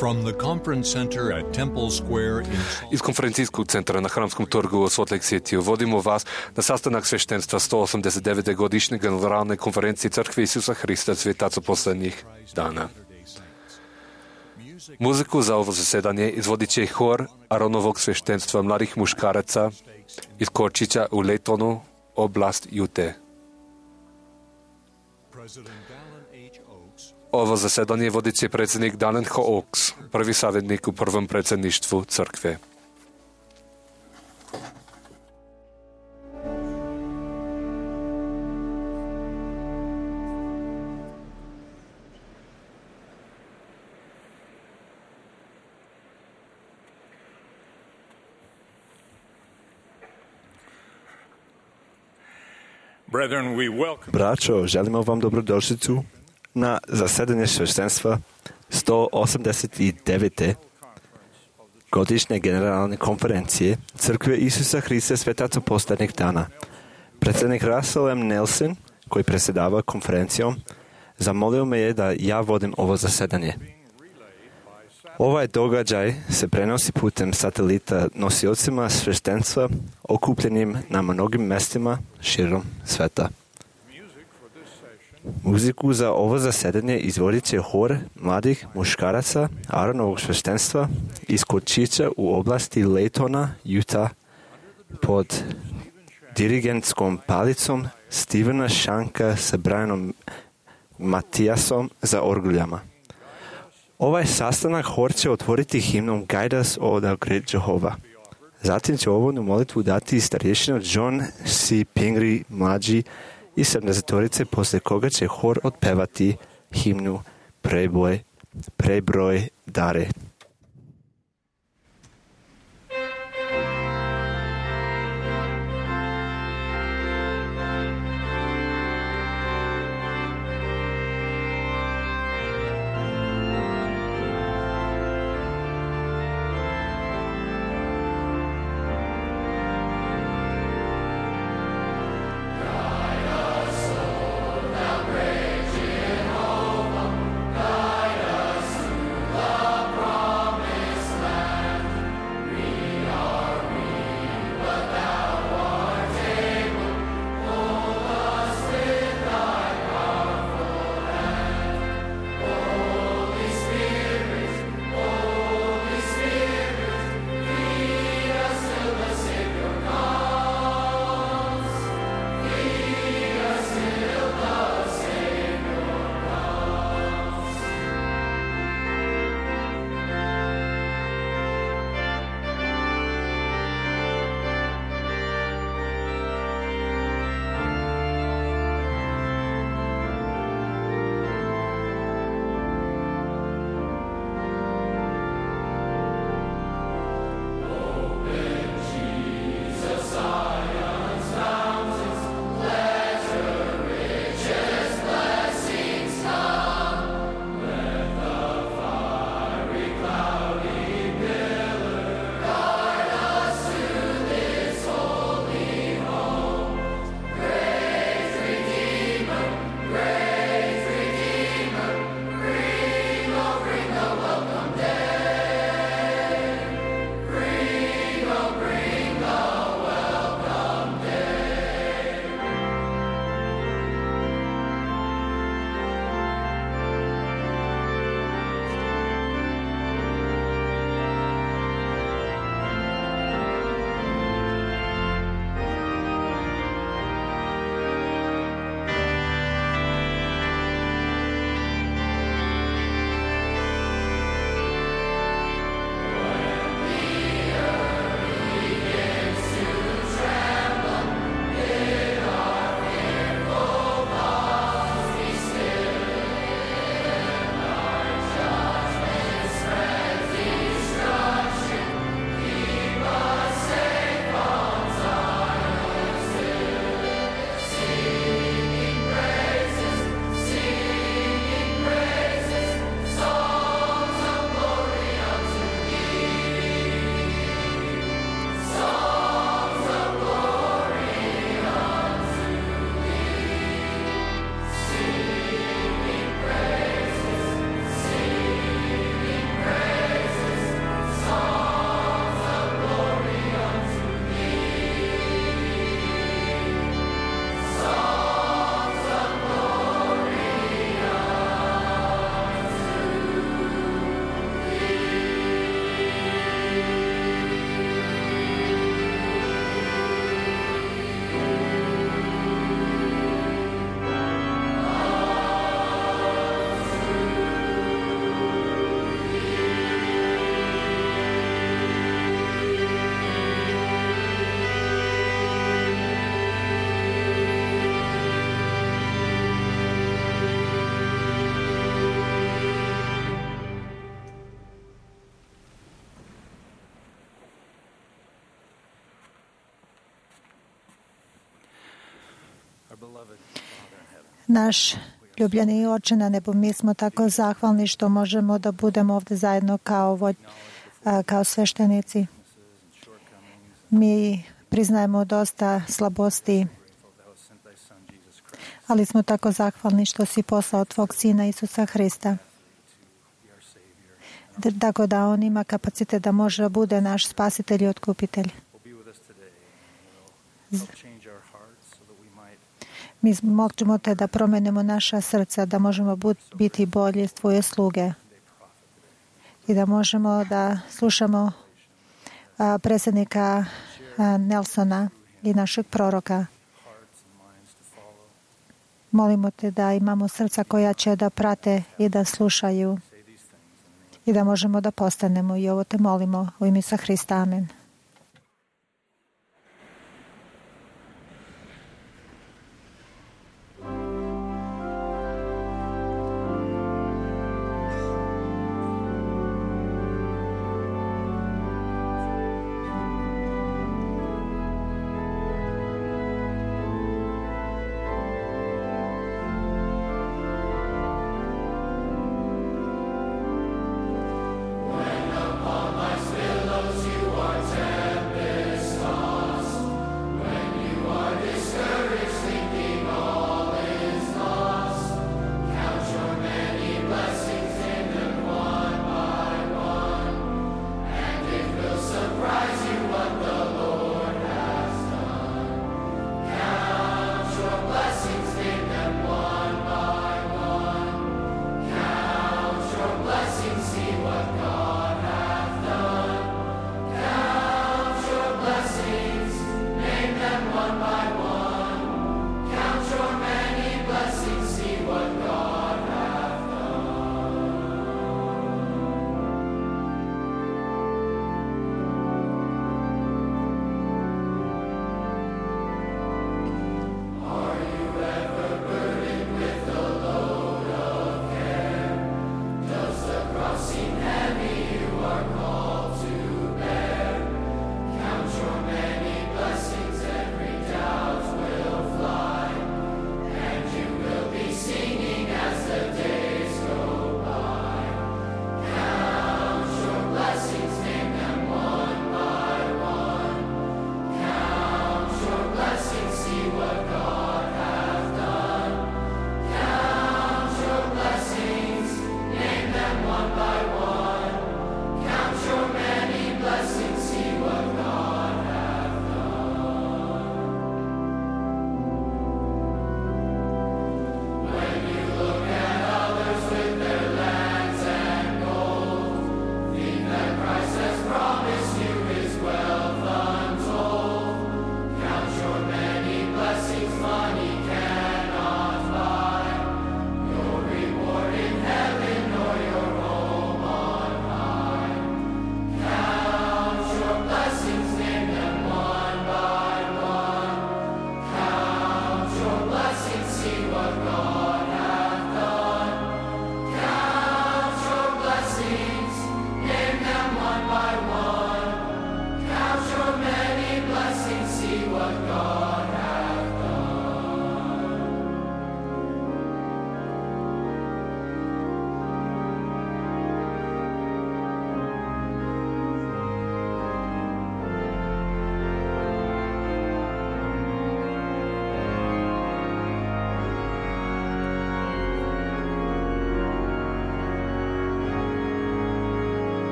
From the conference center at Temple Square in Iz konferencijskog centra na Hramskom trgu u Salt Lake City vodimo vas na sastanak sveštenstva 189. godišnje generalne konferencije Crkve Isusa Hrista svetaca poslednjih dana. Muziku za ovo zasedanje izvodit će hor Aronovog sveštenstva mladih muškaraca iz Korčića u Laytonu, oblast Ute. Ovo zasedanje vodit će predsjednik Dallin H. Oaks, prvi savjetnik u prvom predsjedništvu crkve. Braćo, želimo vam dobrodošlicu na zasedanje sveštenstva 189. godišnje generalne konferencije Crkve Isusa Hrista svetaca poslednjih dana. Predsjednik Russell M. Nelson, koji predsjedava konferencijom, zamolio me je da ja vodim ovo zasedanje. Ovaj događaj se prenosi putem satelita nosiocima sveštenstva okupljenim na mnogim mestima širom sveta. Muziku za ovo zasedanje izvodit će hor mladih muškaraca Aronovog sveštenstva iz Korčića u oblasti Laytona, Utah, pod dirigentskom palicom Stevena Shanka sa Brianom Matiasom za orguljama. Ovaj sastanak hor će otvoriti himnom Guide Us, O Thou Great Jehovah. Zatim će ovodnu molitvu dati starješina John C. Pingree mlađi i 70-torice, posle koga će hor otpevati himnu Prebroj dare. Praise Naš ljubljeni Oče na nebu, mi smo tako zahvalni što možemo da budemo ovdje zajedno kao sveštenici. Mi priznajemo dosta slabosti, ali smo tako zahvalni što si poslao tvog Sina Isusa Hrista. Tako da on ima kapacitet da može da bude naš spasitelj i otkupitelj. Mi možemo te da promenimo naša srca, da možemo biti bolji tvoje sluge i da možemo da slušamo predsjednika Nelsona i našeg proroka. Molimo te da imamo srca koja će da prate i da slušaju i da možemo da postanemo, i ovo te molimo u ime Isusa Hrista. Amen.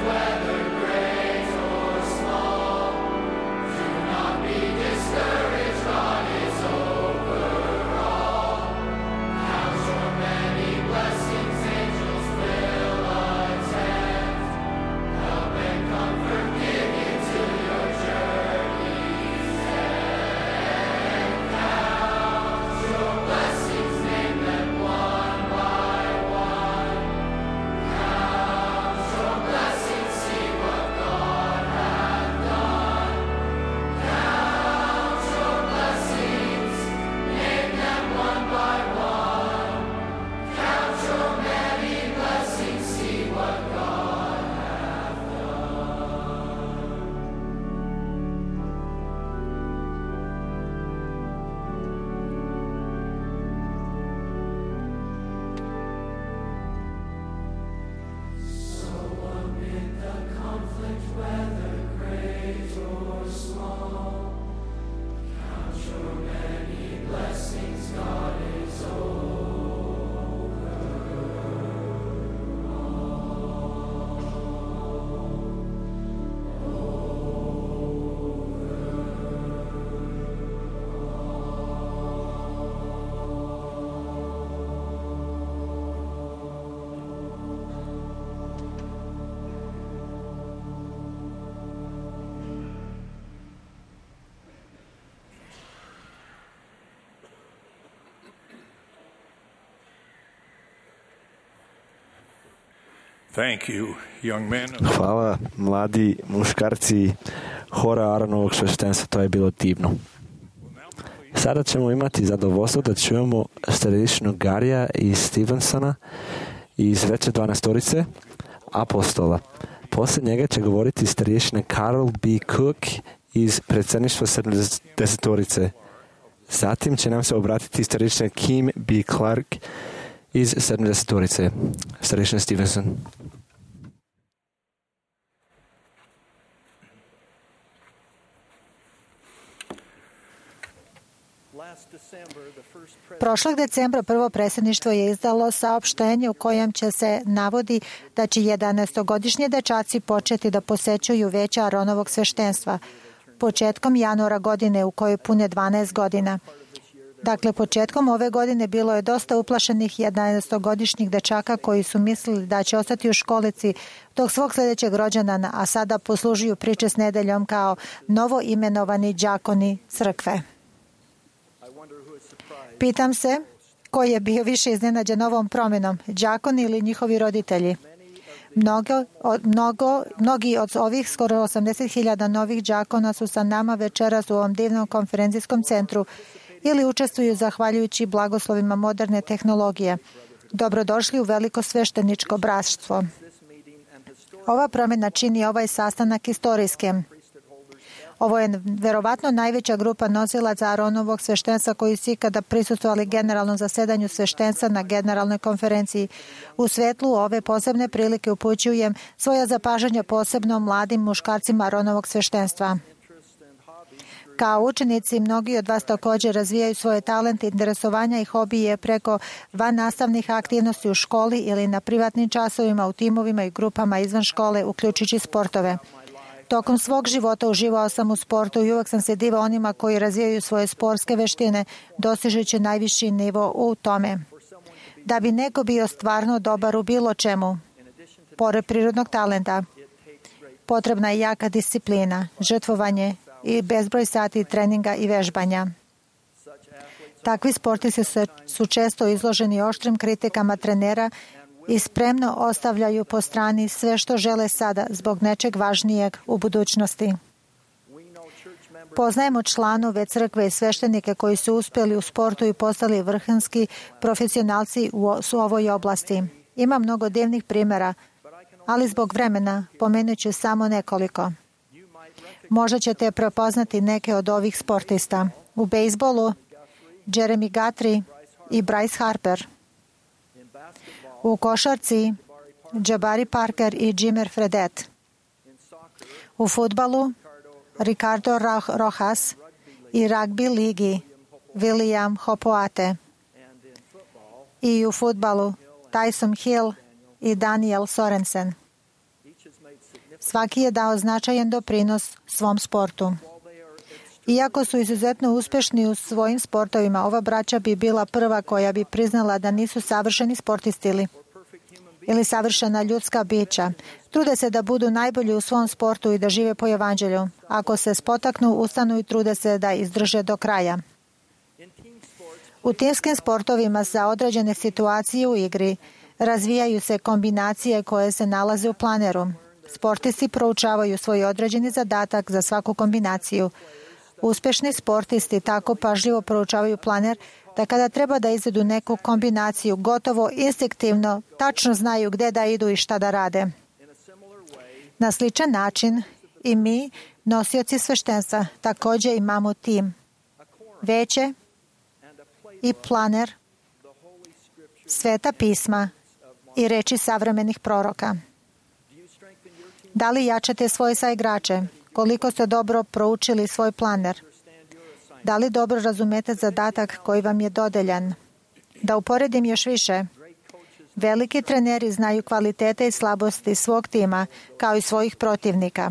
Whether great or small, Thank you, young men. Hvala, mladi muškarci hora Aaronovog sveštenstva, to je bilo divno. Sada ćemo imati zadovoljstvo da čujemo starešinu Garija i Stevensona iz veće 12-torice apostola. Poslije njega će govoriti starešina Carol B. Cook iz predsjedništva 70-torice. Zatim će nam se obratiti starešina Kim B. Clark iz 70-torice. Starešina Stevenson. Prošlog decembra prvo predsjedništvo je izdalo saopštenje u kojem će se navodi da će 11-godišnji dečaci početi da posećuju veće Aaronovog sveštenstva početkom januara godine u kojoj pune 12 godina. Dakle, početkom ove godine bilo je dosta uplašenih 11-godišnjih dečaka koji su mislili da će ostati u školici dok svog sljedećeg rođendana, a sada poslužuju priče s nedeljom kao novo imenovani đakoni crkve. Pitam se ko je bio više iznenađen ovom promjenom, đakoni ili njihovi roditelji. Mnogi od ovih skoro 80.000 novih đakona su sa nama večeras u ovom divnom konferencijskom centru ili učestvuju zahvaljujući blagoslovima moderne tehnologije. Dobrodošli u veliko svešteničko bratstvo. Ova promjena čini ovaj sastanak istorijskim. Ovo je verovatno najveća grupa nosilaca Aaronovog sveštenstva koji su ikada prisustvovali generalnom zasedanju sveštenstva na generalnoj konferenciji. U svetlu ove posebne prilike upućujem svoja zapažanja posebno mladim muškarcima Aaronovog sveštenstva. Kao učenici, mnogi od vas također razvijaju svoje talente, interesovanja i hobije preko vannastavnih aktivnosti u školi ili na privatnim časovima, u timovima i grupama izvan škole, uključujući sportove. Tokom svog života uživao sam u sportu i uvek sam se divao onima koji razvijaju svoje sportske veštine, dostižući najviši nivo u tome. Da bi neko bio stvarno dobar u bilo čemu, pored prirodnog talenta, potrebna je jaka disciplina, žrtvovanje i bezbroj sati treninga i vežbanja. Takvi sportisti su često izloženi oštrim kritikama trenera i spremno ostavljaju po strani sve što žele sada zbog nečeg važnijeg u budućnosti. Poznajemo članove crkve i sveštenike koji su uspjeli u sportu i postali vrhunski profesionalci u ovoj oblasti. Ima mnogo divnih primjera, ali zbog vremena pomenut ću samo nekoliko. Možda ćete prepoznati neke od ovih sportista. U bejsbolu Jeremy Guthrie i Bryce Harper. U košarci Jabari Parker i Jimmer Fredette. U fudbalu Ricardo Rojas i ragbi ligi William Hopoate. I u fudbalu Tyson Hill i Daniel Sorensen. Svaki je dao značajan doprinos svom sportu. Iako su izuzetno uspješni u svojim sportovima, ova braća bi bila prva koja bi priznala da nisu savršeni sportisti ili savršena ljudska bića. Trude se da budu najbolji u svom sportu i da žive po evanđelju. Ako se spotaknu, ustanu i trude se da izdrže do kraja. U timskim sportovima za određene situacije u igri razvijaju se kombinacije koje se nalaze u planeru. Sportisti proučavaju svoj određeni zadatak za svaku kombinaciju. Uspješni sportisti tako pažljivo proučavaju planer da kada treba da izvedu neku kombinaciju, gotovo instinktivno, tačno znaju gdje da idu i šta da rade. Na sličan način i mi, nosioci sveštenstva, također imamo tim, veće i planer, sveta pisma i reči savremenih proroka. Da li jačate svoje saigrače? Koliko ste dobro proučili svoj planer? Da li dobro razumete zadatak koji vam je dodeljan? Da uporedim još više. Veliki treneri znaju kvalitete i slabosti svog tima, kao i svojih protivnika.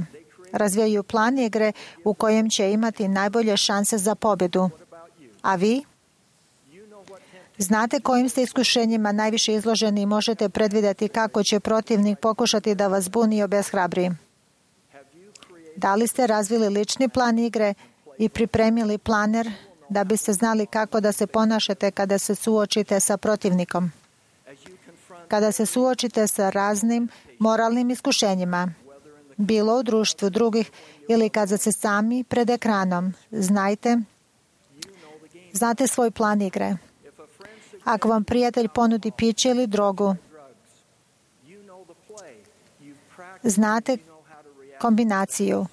Razvijaju plan igre u kojem će imati najbolje šanse za pobjedu. A vi? Znate kojim ste iskušenjima najviše izloženi i možete predvidjeti kako će protivnik pokušati da vas buni i obeshrabri. Da li ste razvili lični plan igre i pripremili planer da biste znali kako da se ponašate kada se suočite sa protivnikom? kada se suočite sa raznim moralnim iskušenjima, bilo u društvu drugih ili kada ste sami pred ekranom, znate svoj plan igre. Ako vam prijatelj ponudi piće ili drogu, znate kombinaciju.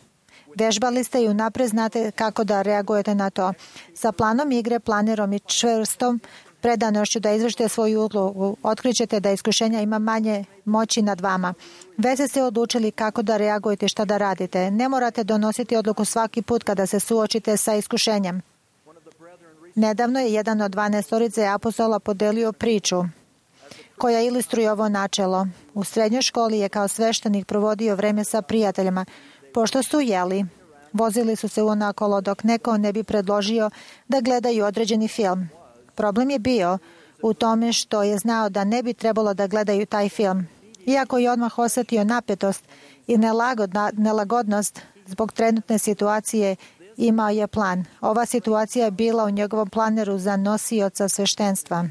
Vežbali ste i unaprijed znate kako da reagujete na to. Sa planom igre, planirom i čvrstom predanošću da izvršite svoju ulogu, otkrićete da iskušenja ima manje moći nad vama. Već ste se odlučili kako da reagujete i šta da radite. Ne morate donositi odluku svaki put kada se suočite sa iskušenjem. Nedavno je jedan od 12 apostola podelio priču koja ilustruje ovo načelo. U srednjoj školi je kao sveštenik provodio vreme sa prijateljima. Pošto su jeli, vozili su se unakolo dok neko ne bi predložio da gledaju određeni film. Problem je bio u tome što je znao da ne bi trebalo da gledaju taj film. Iako je odmah osjetio napetost i nelagodnost zbog trenutne situacije, imao je plan. Ova situacija je bila u njegovom planeru za nosioca sveštenstva.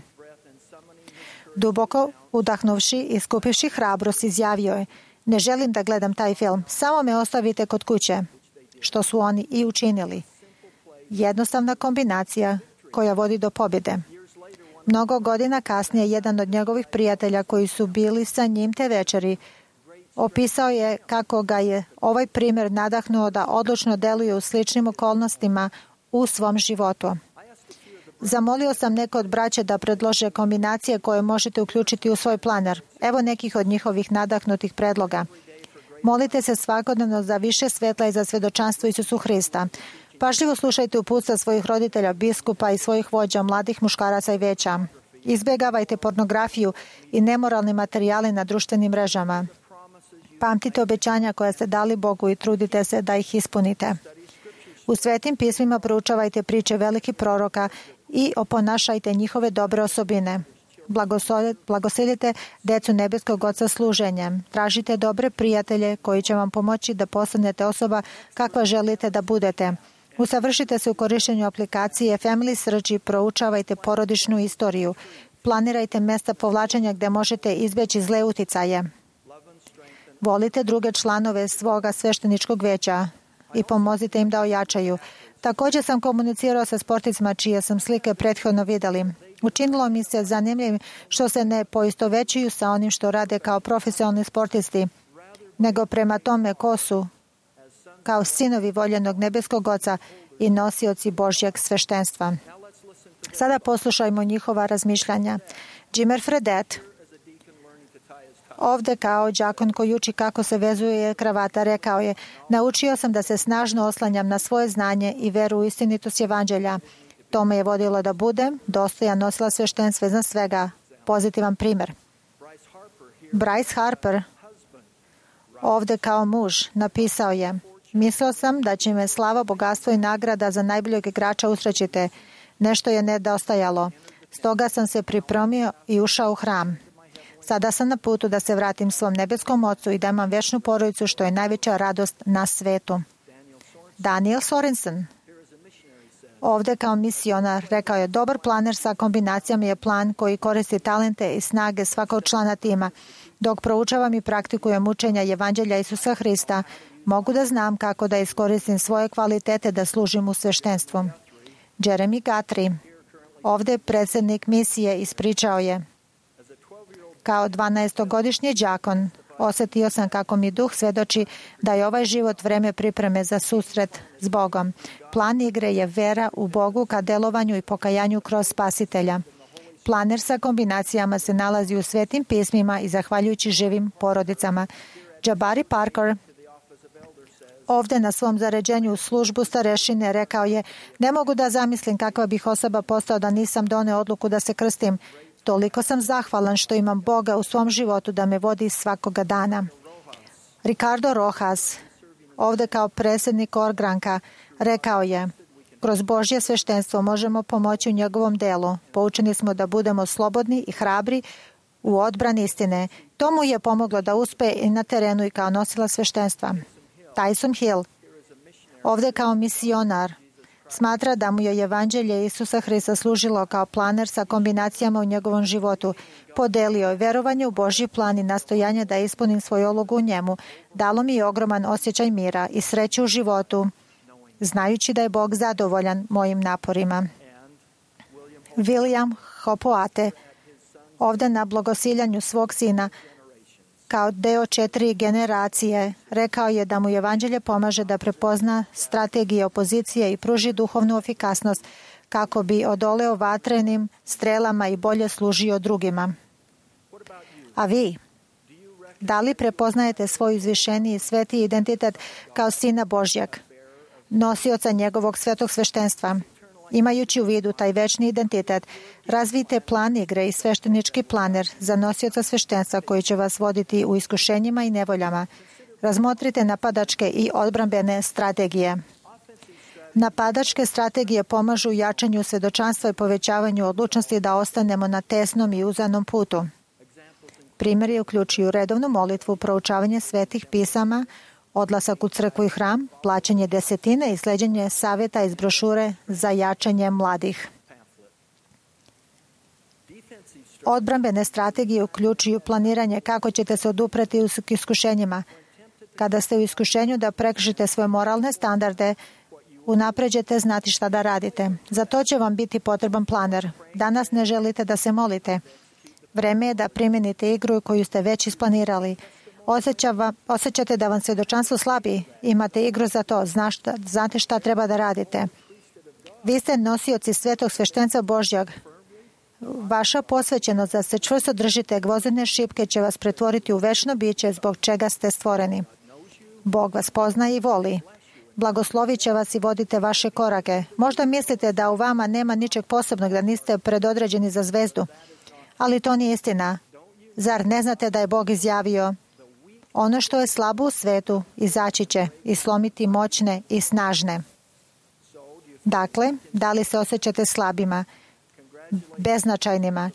Duboko udahnuvši i skupivši hrabrost, izjavio je: ne želim da gledam taj film, samo me ostavite kod kuće. Što su oni i učinili. Jednostavna kombinacija koja vodi do pobjede. Mnogo godina kasnije, jedan od njegovih prijatelja koji su bili sa njim te večeri, opisao je kako ga je ovaj primjer nadahnuo da odlučno deluje u sličnim okolnostima u svom životu. Zamolio sam neko od braće da predlože kombinacije koje možete uključiti u svoj planer. Evo nekih od njihovih nadahnutih predloga. Molite se svakodnevno za više svetla i za svjedočanstvo Isusu Hrista. Pažljivo slušajte uputstva svojih roditelja, biskupa i svojih vođa, mladih muškaraca i veća. Izbjegavajte pornografiju i nemoralni materijali na društvenim mrežama. Pamtite obećanja koja ste dali Bogu i trudite se da ih ispunite. U svetim pismima proučavajte priče velikih proroka i oponašajte njihove dobre osobine. Blagoslivite decu nebeskog Oca služenjem. Tražite dobre prijatelje koji će vam pomoći da postanete osoba kakva želite da budete. Usavršite se u korištenju aplikacije Family Search i proučavajte porodičnu istoriju. Planirajte mesta povlačenja gdje možete izbjeći zle uticaje. Volite druge članove svoga svešteničkog veća i pomozite im da ojačaju. Također sam komunicirao sa sportistima čije sam slike prethodno vidjeli. Učinilo mi se zanimljivim što se ne poistovećuju sa onim što rade kao profesionalni sportisti, nego prema tome ko su kao sinovi voljenog nebeskog Oca i nosioci Božjeg sveštenstva. Sada poslušajmo njihova razmišljanja. Jimmer Fredette, ovdje kao đakon koji uči kako se vezuje kravata, rekao je: naučio sam da se snažno oslanjam na svoje znanje i veru u istinitost evanđelja. To me je vodilo da budem dostojan nosilac sveštenstva iznad svega. Pozitivan primjer. Bryce Harper, ovdje kao muž, napisao je: mislio sam da će me slava, bogatstvo i nagrada za najboljeg igrača usrećiti. Nešto je nedostajalo. Stoga sam se pripremio i ušao u hram. Sada sam na putu da se vratim svom nebeskom Ocu i da imam vječnu porodicu, što je najveća radost na svetu. Daniel Sorensen, ovdje kao misionar, rekao je: dobar planer sa kombinacijama je plan koji koristi talente i snage svakog člana tima. Dok proučavam i praktikujem učenja evanđelja Isusa Hrista, mogu da znam kako da iskoristim svoje kvalitete da služim u sveštenstvu. Jeremy Guthrie, ovdje predsjednik misije, ispričao je: kao 12-godišnji đakon osjetio sam kako mi duh svjedoči da je ovaj život vreme pripreme za susret s Bogom. Plan igre je vera u Bogu ka delovanju i pokajanju kroz Spasitelja. Planer sa kombinacijama se nalazi u svetim pismima i zahvaljujući živim porodicama. Jabari Parker, ovdje na svom zaređenju u službu starešine, rekao je: ne mogu da zamislim kakva bih osoba postao da nisam doneo odluku da se krstim. Toliko sam zahvalan što imam Boga u svom životu da me vodi svakoga dana. Ricardo Rojas, ovdje kao predsjednik Orgranka, rekao je: kroz Božje sveštenstvo možemo pomoći u njegovom delu. Poučeni smo da budemo slobodni i hrabri u odbrani istine. To mu je pomoglo da uspe i na terenu i kao nosila sveštenstva. Tyson Hill, ovdje kao misionar, Smatra da mu je evanđelje Isusa Hrista služilo kao planer sa kombinacijama u njegovom životu. Podelio je verovanje u Božji plan i nastojanje da ispunim svoju ulogu u njemu. Dalo mi je ogroman osjećaj mira i sreće u životu, znajući da je Bog zadovoljan mojim naporima. William Hopoate, ovdje na blagosiljanju svog sina, kao deo 4 generacije, rekao je da mu evanđelje pomaže da prepozna strategije opozicije i pruži duhovnu efikasnost kako bi odoleo vatrenim strelama i bolje služio drugima. A vi, da li prepoznajete svoj izvišeniji sveti identitet kao Sina Božjeg, nosioca njegovog svetog sveštenstva? Imajući u vidu taj večni identitet, razvijte plan igre i sveštenički planer za nosioca sveštenstva koji će vas voditi u iskušenjima i nevoljama. Razmotrite napadačke i odbrambene strategije. Napadačke strategije pomažu u jačanju svedočanstva i povećavanju odlučnosti da ostanemo na tesnom i uzanom putu. Primjeri uključuju redovnu molitvu, proučavanje svetih pisama, odlasak u crkvu i hram, plaćanje desetine i sleđenje savjeta iz brošure za jačanje mladih. Odbrambene strategije uključuju planiranje kako ćete se odupreti u iskušenjima. Kada ste u iskušenju da prekršite svoje moralne standarde, unaprijed ćete znati šta da radite. Za to će vam biti potreban planer. Danas ne želite da se molite. Vreme je da primijenite igru koju ste već isplanirali. Osjećate da vam svjedočanstvo slabi, imate igru za to, znate šta treba da radite. Vi ste nosioci svetog sveštenstva Božjeg. Vaša posvećenost da se čvrsto držite gvozdene šipke će vas pretvoriti u večno biće zbog čega ste stvoreni. Bog vas poznaje i voli. Blagoslovit će vas i vodite vaše korake. Možda mislite da u vama nema ničeg posebnog, da niste predodređeni za zvezdu. Ali to nije istina. Zar ne znate da je Bog izjavio: ono što je slabo u svetu izaći će i slomiti moćne i snažne. Dakle, da li se osjećate slabima, beznačajnima?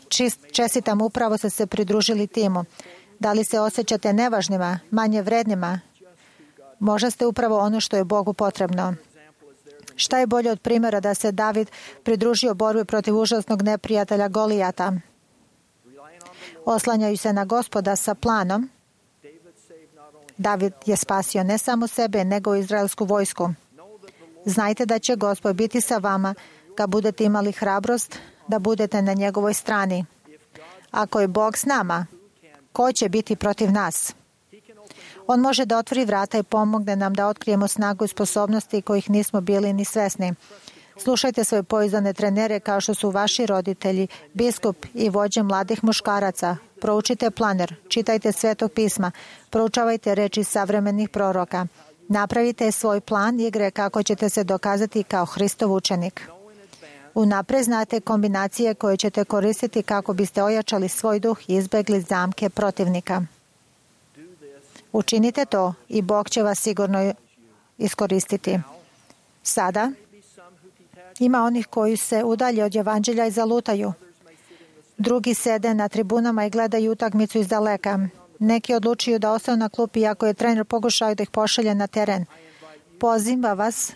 Čestitam, upravo ste se pridružili timu. Da li se osjećate nevažnima, manje vrednima? Možda ste upravo ono što je Bogu potrebno. Šta je bolje od primjera da se David pridružio borbi protiv užasnog neprijatelja Golijata? Oslanjaju se na Gospoda sa planom. David je spasio ne samo sebe, nego i izraelsku vojsku. Znajte da će Gospod biti sa vama kad budete imali hrabrost da budete na njegovoj strani. Ako je Bog s nama, ko će biti protiv nas? On može da otvori vrata i pomogne nam da otkrijemo snagu i sposobnosti kojih nismo bili ni svesni. Slušajte svoje pouzdane trenere kao što su vaši roditelji, biskup i vođe mladih muškaraca. Proučite planer, čitajte Svetog pisma, proučavajte reči savremenih proroka. Napravite svoj plan igre kako ćete se dokazati kao Hristov učenik. Unaprijed znate kombinacije koje ćete koristiti kako biste ojačali svoj duh i izbjegli zamke protivnika. Učinite to i Bog će vas sigurno iskoristiti. Sada ima onih koji se udalje od evanđelja i zalutaju. Drugi sede na tribunama i gledaju utakmicu iz daleka. Neki odlučuju da ostanu na klupi iako je trener pokušao da ih pošalje na teren. Pozivam vas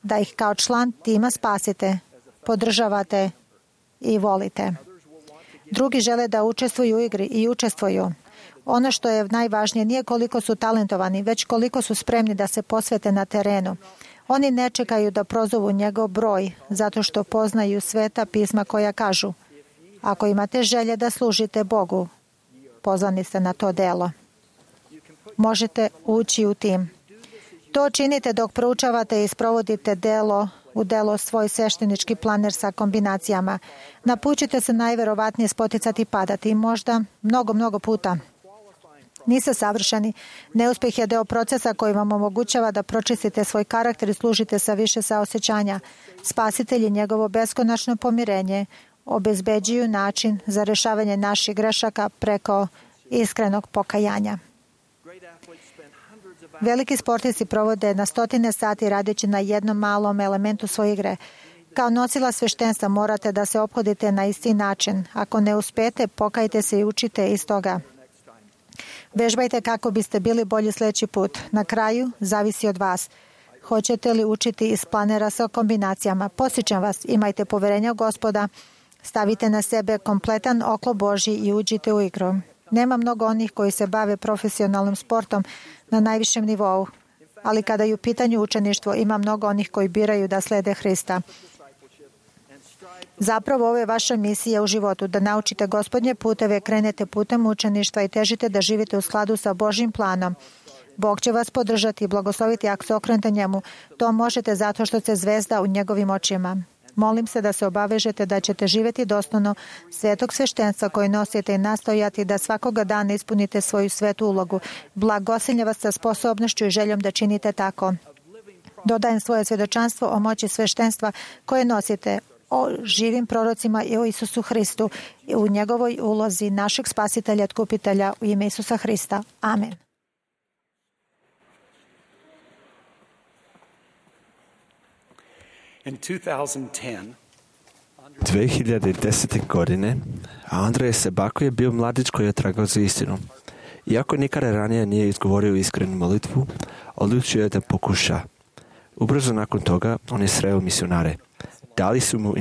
da ih kao član tima spasite, podržavate i volite. Drugi žele da učestvuju u igri i učestvuju. Ono što je najvažnije nije koliko su talentovani, već koliko su spremni da se posvete na terenu. Oni ne čekaju da prozovu njegov broj, zato što poznaju sveta pisma koja kažu: ako imate želje da služite Bogu, pozvani ste na to delo. Možete ući u tim. To činite dok proučavate i sprovodite u delo svoj sveštenički planer sa kombinacijama. Na put ćete se najverovatnije spoticati i padati, možda mnogo puta. Niste savršeni. Neuspjeh je deo procesa koji vam omogućava da pročistite svoj karakter i služite sa više saosjećanja. Spasitelj i njegovo beskonačno pomirenje obezbeđuju način za rješavanje naših grešaka preko iskrenog pokajanja. Veliki sportisti provode na stotine sati radeći na jednom malom elementu svoje igre. Kao nosila sveštenstva morate da se ophodite na isti način. Ako ne uspete, pokajte se i učite iz toga. Vežbajte kako biste bili bolji sljedeći put. Na kraju, zavisi od vas. Hoćete li učiti iz planera sa kombinacijama? Podsjećam vas, imajte poverenja u Gospoda, stavite na sebe kompletan oklop Božji i uđite u igru. Nema mnogo onih koji se bave profesionalnim sportom na najvišem nivou, ali kada je u pitanju učeništvo, ima mnogo onih koji biraju da slede Hrista. Zapravo, ovo je vaša misija u životu, da naučite Gospodnje puteve, krenete putem učeništva i težite da živite u skladu sa Božjim planom. Bog će vas podržati i blagosloviti ako se okrenete njemu. To možete zato što ste zvezda u njegovim očima. Molim se da se obavežete da ćete živjeti dostojno svetog sveštenstva koji nosite i nastojati da svakoga dana ispunite svoju svetu ulogu. Blagosilje vas sa sposobnošću i željom da činite tako. Dodajem svoje svjedočanstvo o moći sveštenstva koje nosite, o živim prorocima i o Isusu Hristu i u njegovoj ulozi našeg spasitelja i otkupitelja u ime Isusa Hrista. Amen. In 2010, 2010. godine Andrej Sebako je bio mladić koji je tragao za istinom. Iako nikada ranije nije izgovorio iskrenu molitvu, odlučio je da pokuša. Ubrzo nakon toga on je sreo misionare. Dali su mu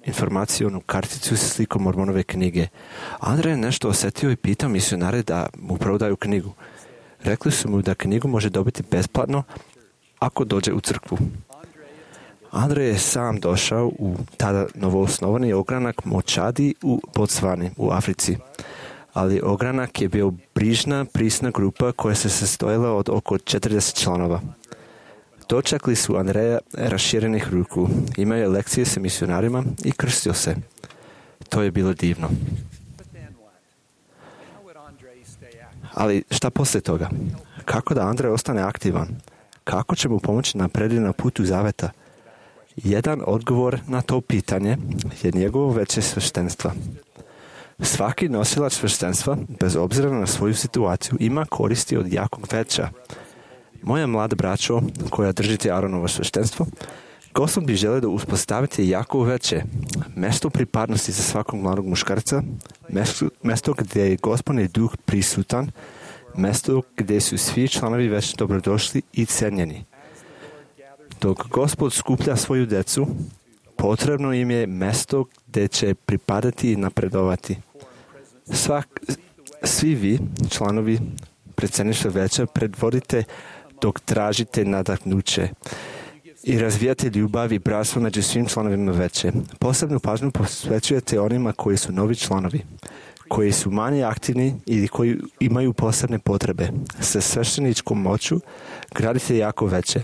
informacijonu karticu sa slikom Mormonove knjige. Andrej je nešto osjetio i pitao misionare da mu prodaju knjigu. Rekli su mu da knjigu može dobiti besplatno ako dođe u crkvu. Andrej je sam došao u tada novoosnovani ogranak Močadi u Botsvani u Africi. Ali ogranak je bio brižna, prisna grupa koja se sastojala od oko 40 članova. Dočekali su Andreja raširenih ruku, imao je lekcije sa misionarima i krstio se. To je bilo divno. Ali šta poslije toga? Kako da Andrej ostane aktivan? Kako će mu pomoći naprediti na putu zaveta? Jedan odgovor na to pitanje je njegovo veće sveštenstva. Svaki nosilač sveštenstva, bez obzira na svoju situaciju, ima koristi od jakog veća. Moja mlada braćo, koja držite Aaronovo sveštenstvo, Gospod bi želio da uspostavite jako veće, mjesto pripadnosti za svakog mladog muškarca, mjesto gdje je Gospodni duh prisutan, mjesto gdje su svi članovi već dobrodošli i cenjeni. Dok Gospod skuplja svoju djecu, potrebno im je mjesto gdje će pripadati i napredovati. Svi vi, članovi predsjedništva veća, predvodite dok tražite nadahnuće i razvijate ljubav i bratstvo među svim članovima veće. Posebnu pažnju posvećujete onima koji su novi članovi, koji su manje aktivni ili koji imaju posebne potrebe. Sa svešteničkom moću gradite jako veće,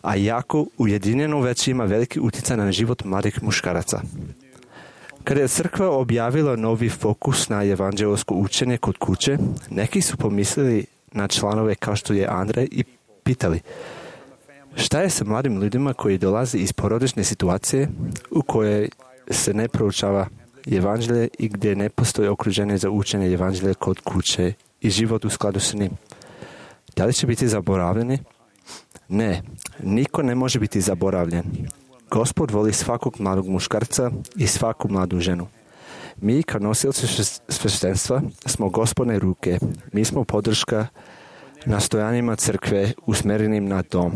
a jako ujedinjeno veće ima veliki utjecaj na život mladih muškaraca. Kada je crkva objavila novi fokus na evanđelsko učenje kod kuće, neki su pomislili na članove kao što je Andrej i pitali šta je sa mladim ljudima koji dolaze iz porodične situacije u kojoj se ne proučava evanđelje i gdje ne postoji okruženje za učenje evanđelja kod kuće i život u skladu s njim. Da li će biti zaboravljeni? Ne, niko ne može biti zaboravljen. Gospod voli svakog mladog muškarca i svaku mladu ženu. Mi, kao nosioci sveštenstva, smo Gospodne ruke. Mi smo podrška nastojanjima crkve usmjerenim na dom.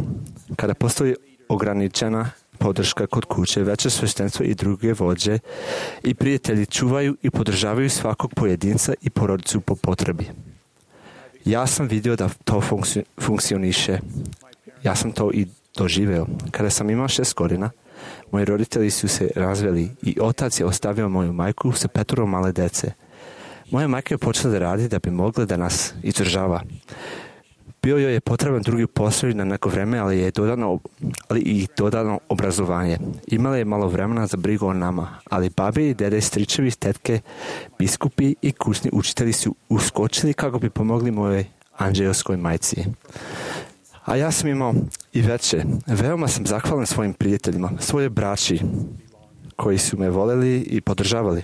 Kada postoji ograničena podrška kod kuće, veće sveštenstvo i druge vođe i prijatelji čuvaju i podržavaju svakog pojedinca i porodicu po potrebi. Ja sam vidio da to funkcioniše. Ja sam to i doživeo. Kada sam imao 6 godina, moji roditelji su se razveli i otac je ostavio moju majku sa 5 male dece. Moja majka je počela da radi da bi mogla da nas izdržava. Bio joj je potreban drugi posao na neko vreme, ali i dodano obrazovanje. Imala je malo vremena za brigu o nama, ali babi, dede, stričevi, tetke, biskupi i kućni učitelji su uskočili kako bi pomogli mojoj anđelskoj majci. A ja sam imao i veće. Veoma sam zahvalan svojim prijateljima, svoje braći koji su me voleli i podržavali.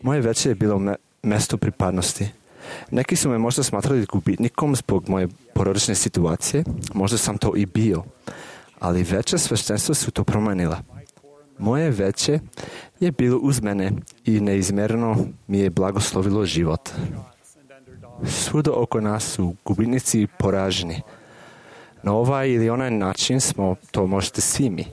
Moje veće je bilo mjesto pripadnosti. Neki su me možda smatrali gubitnikom zbog moje porodične situacije, možda sam to i bio, ali veće sveštenstva su to promijenila. Moje veće je bilo uz mene i neizmjerno mi je blagoslovilo život. Svuda oko nas su gubitnici poraženi. Na ovaj ili onaj način to možete svi mi.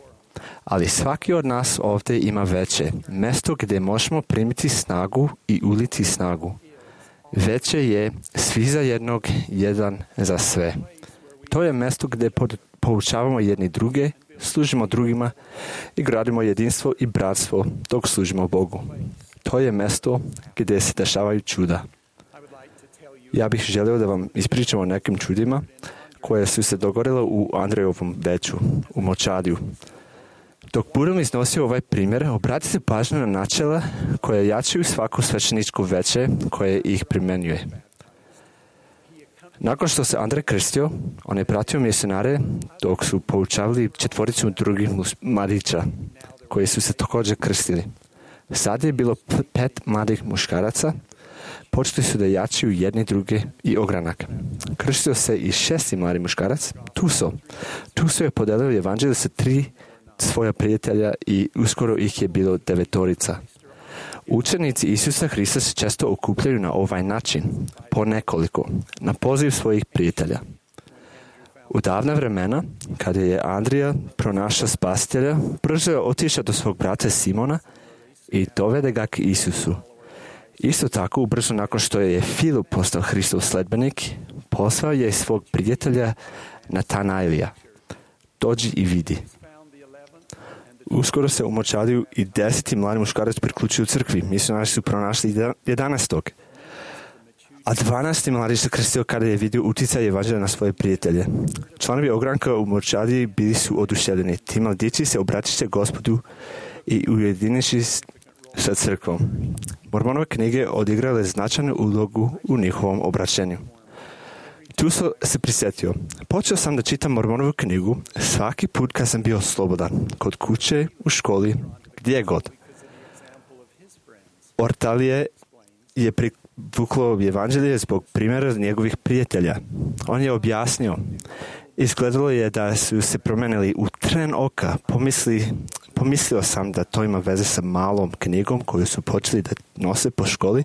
Ali svaki od nas ovdje ima veće, mjesto gdje možemo primiti snagu i uliti snagu. Veće je svi za jednog, jedan za sve. To je mjesto gdje poučavamo jedni druge, služimo drugima i gradimo jedinstvo i bratstvo dok služimo Bogu. To je mjesto gdje se dešavaju čuda. Ja bih želio da vam ispričam o nekim čudima koje su se dogodile u Andrejovom veću, u Močadiju. Dok budem iznosio ovaj primjer, obratite pažnju na načela koje jačaju svako svećeničko veće koje ih primjenjuje. Nakon što se Andrej krstio, on je pratio misionare dok su poučavali 4 drugih mladića koji su se također krstili. Sad je bilo 5 mladih muškaraca, počeli su da jačaju jedni druge i ogranak. Krstio se i 6. mladi muškarac, Tuso je podelio evanđelje sa 3 svoja prijatelja i uskoro ih je bilo 9. Učenici Isusa Hrista se često okupljaju na ovaj način, po nekoliko, na poziv svojih prijatelja. U davna vremena, kada je Andrija pronašao spasitelja, brzo je otišao do svog brata Simona i dovede ga k Isusu. Isto tako, ubrzo nakon što je Filip postao Hristov sledbenik, poslao je svog prijatelja Natanailija. Dođi i vidi. Uskoro se u Močadiju i 10. mladi muškarac priključio u crkvi. Misionari su pronašli 11. A 12. mladić se krstio kada je vidio utjecaj evanđelja na svoje prijatelje. Članovi ogranka u Močadiji bili su oduševljeni. Ti mladići se obratiše Gospodu i ujediniši sa crkvom. Mormonove knjige odigrale značajnu ulogu u njihovom obraćenju. Tu se prisjetio. Počeo sam da čitam Mormonovu knjigu svaki put kad sam bio slobodan, kod kuće, u školi, gdje god. Ortalije je privuklo evanđelje zbog primjera njegovih prijatelja. On je objasnio. Izgledalo je da su se promenili u tren oka. Pomislio sam da to ima veze sa malom knjigom koju su počeli da nose po školi.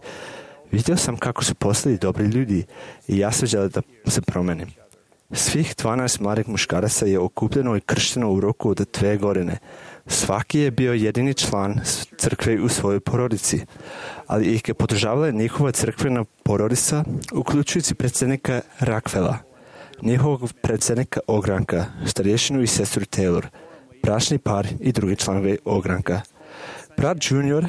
Vidio sam kako su postali dobri ljudi i ja sam želio da se promenim. Svih 12 mladih muškaraca je okupljeno i kršteno u roku od 2 godine. Svaki je bio jedini član crkve u svojoj porodici, ali ih je podržavala njihova crkvena porodica, uključujući predsjednika Rakvela, njihovog predsjednika ogranka, starješinu i sestru Taylor, bračni par i drugi članovi ogranka. Brat Junior,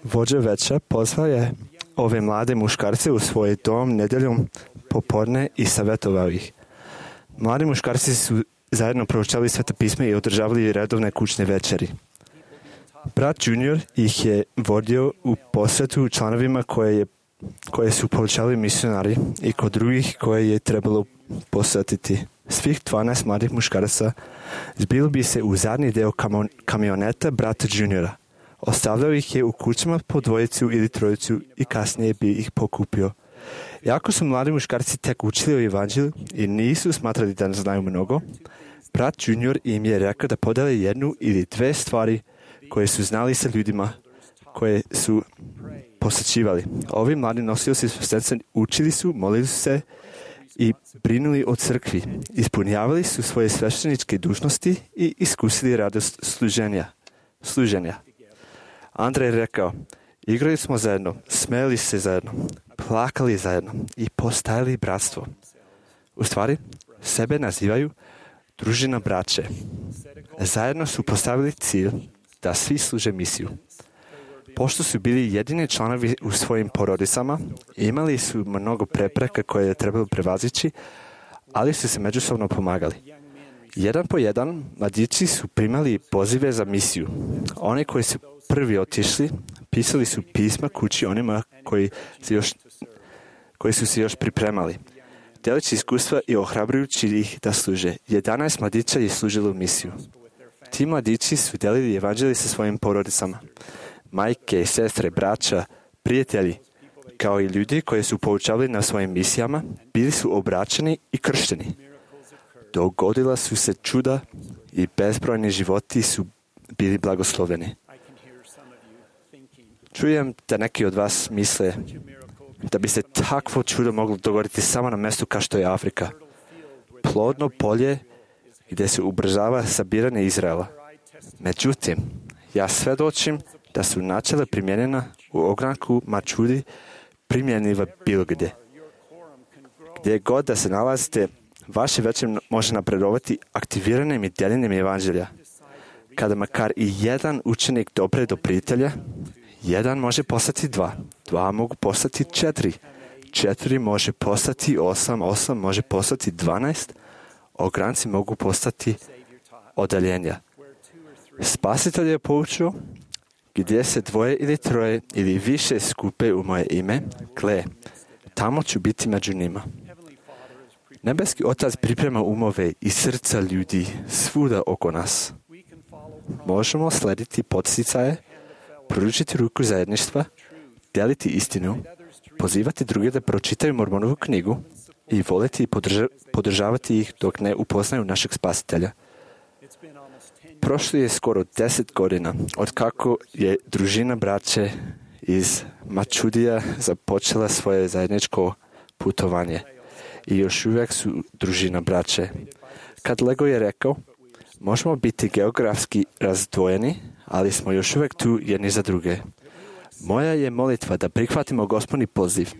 vođa veća, pozvao je ove mlade muškarce u svoj dom nedjeljom popodne i savjetovao ih. Mladi muškarci su zajedno proučavali Sveta pisma i održavali redovne kućne večeri. Brat Junior ih je vodio u posjetu članovima koje su poučavali misionari i kod drugih koje je trebalo posjetiti. Svih 12 mladih muškaraca zbilo bi se u zadnji deo kamioneta brata Juniora. Ostavljao ih je u kućama po 2 ili 3 i kasnije bi ih pokupio. Iako su mladi muškarci tek učili o evanđelju i nisu smatrali da znaju mnogo, brat Junior im je rekao da podele 1 ili 2 stvari koje su znali sa ljudima koje su posjećivali. Ovi mladi nosioci sveštenstva učili su, molili su se i brinuli o crkvi. Ispunjavali su svoje svešteničke dužnosti i iskusili radost služenja. Andrej je rekao, igrali smo zajedno, smeli se zajedno, plakali zajedno i postajali bratstvo. U stvari, sebe nazivaju družina braće. Zajedno su postavili cilj da svi služe misiju. Pošto su bili jedini članovi u svojim porodicama, imali su mnogo prepreka koje je trebalo prevazići, ali su se međusobno pomagali. Jedan po jedan, mladići su primali pozive za misiju. Oni koji su prvi otišli, pisali su pisma kući onima koji su se još pripremali. Delići iskustva i ohrabrujući ih da služe. 11 mladića je služilo misiju. Ti mladići su delili evanđelje sa svojim porodicama. Majke, sestre, braća, prijatelji, kao i ljudi koji su poučavali na svojim misijama, bili su obraćeni i kršteni. Dogodila su se čuda i bezbrojni životi su bili blagosloveni. Čujem da neki od vas misle da bi se takvo čudo moglo dogoditi samo na mjestu kao što je Afrika. Plodno polje gdje se ubrzava sabiranje Izraela. Međutim, ja svjedočim da su načela primjenjena u ogranku Mačudi primjenjiva bilo gdje. Gdje god da se nalazite, vaše veće može napredovati aktiviranjem i djeljenjem evanđelja. Kada makar i jedan učenik dopre do prijatelja, jedan može postati 2, 2 mogu postati 4, 4 može postati 8, 8 može postati 12, ogranci mogu postati odaljenja. Spasitelj je poučio, gdje se 2 ili 3 ili više skupe u moje ime, gle, tamo ću biti među njima. Nebeski Otac priprema umove i srca ljudi svuda oko nas. Možemo slediti podsticaje, pružiti ruku zajedništva, dijeliti istinu, pozivati druge da pročitaju Mormonovu knjigu i voliti i podržavati ih dok ne upoznaju našeg Spasitelja. Prošlo je skoro 10 godina od kako je družina braće iz Mačudija započela svoje zajedničko putovanje. I još uvijek su družina braće. Kad Lego je rekao, možemo biti geografski razdvojeni, ali smo još uvijek tu jedni za druge. Moja je molitva da prihvatimo Gospodni poziv,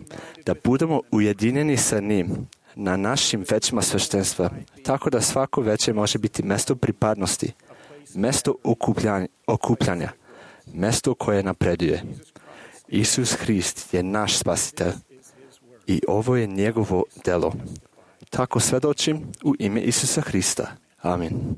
da budemo ujedinjeni sa njim na našim većima sveštenstva, tako da svako veće može biti mjesto pripadnosti, mjesto okupljanja, mjesto koje napreduje. Isus Hrist je naš spasitelj i ovo je njegovo delo. Tako svjedočim u ime Isusa Hrista. Amin.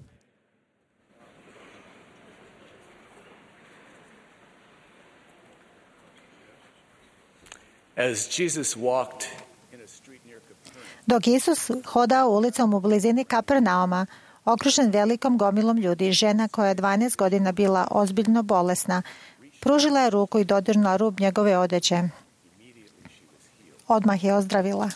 Dok Isus hodao ulicom u blizini Kapernauma, okružen velikom gomilom ljudi, žena koja je 12 godina bila ozbiljno bolesna, pružila je ruku i dodirnula rub njegove odeće. Odmah je ozdravila.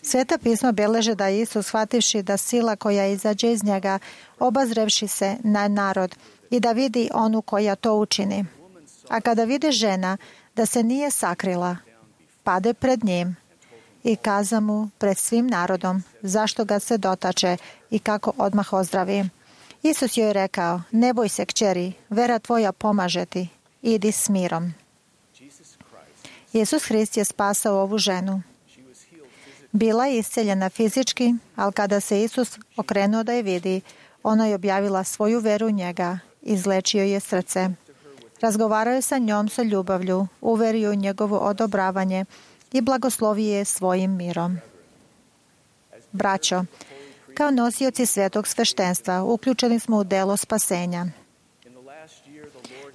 Sveta pisma beleže da je Isus, shvativši da sila koja izađe iz njega, obazrevši se na narod i da vidi onu koja to učini. A kada vidi žena da se nije sakrila, pade pred njim i kaza mu pred svim narodom zašto ga se dotače i kako odmah ozdravi. Isus joj je rekao, ne boj se kćeri, vera tvoja pomaže ti, idi s mirom. Isus Hrist je spasao ovu ženu. Bila je isceljena fizički, ali kada se Isus okrenuo da je vidi, ona je objavila svoju veru u njega, izlečio je srce. Razgovarao je sa njom sa ljubavlju, uverio u njegovo odobravanje i blagoslovio je svojim mirom. Braćo, kao nosioci svetog sveštenstva uključeni smo u delo spasenja.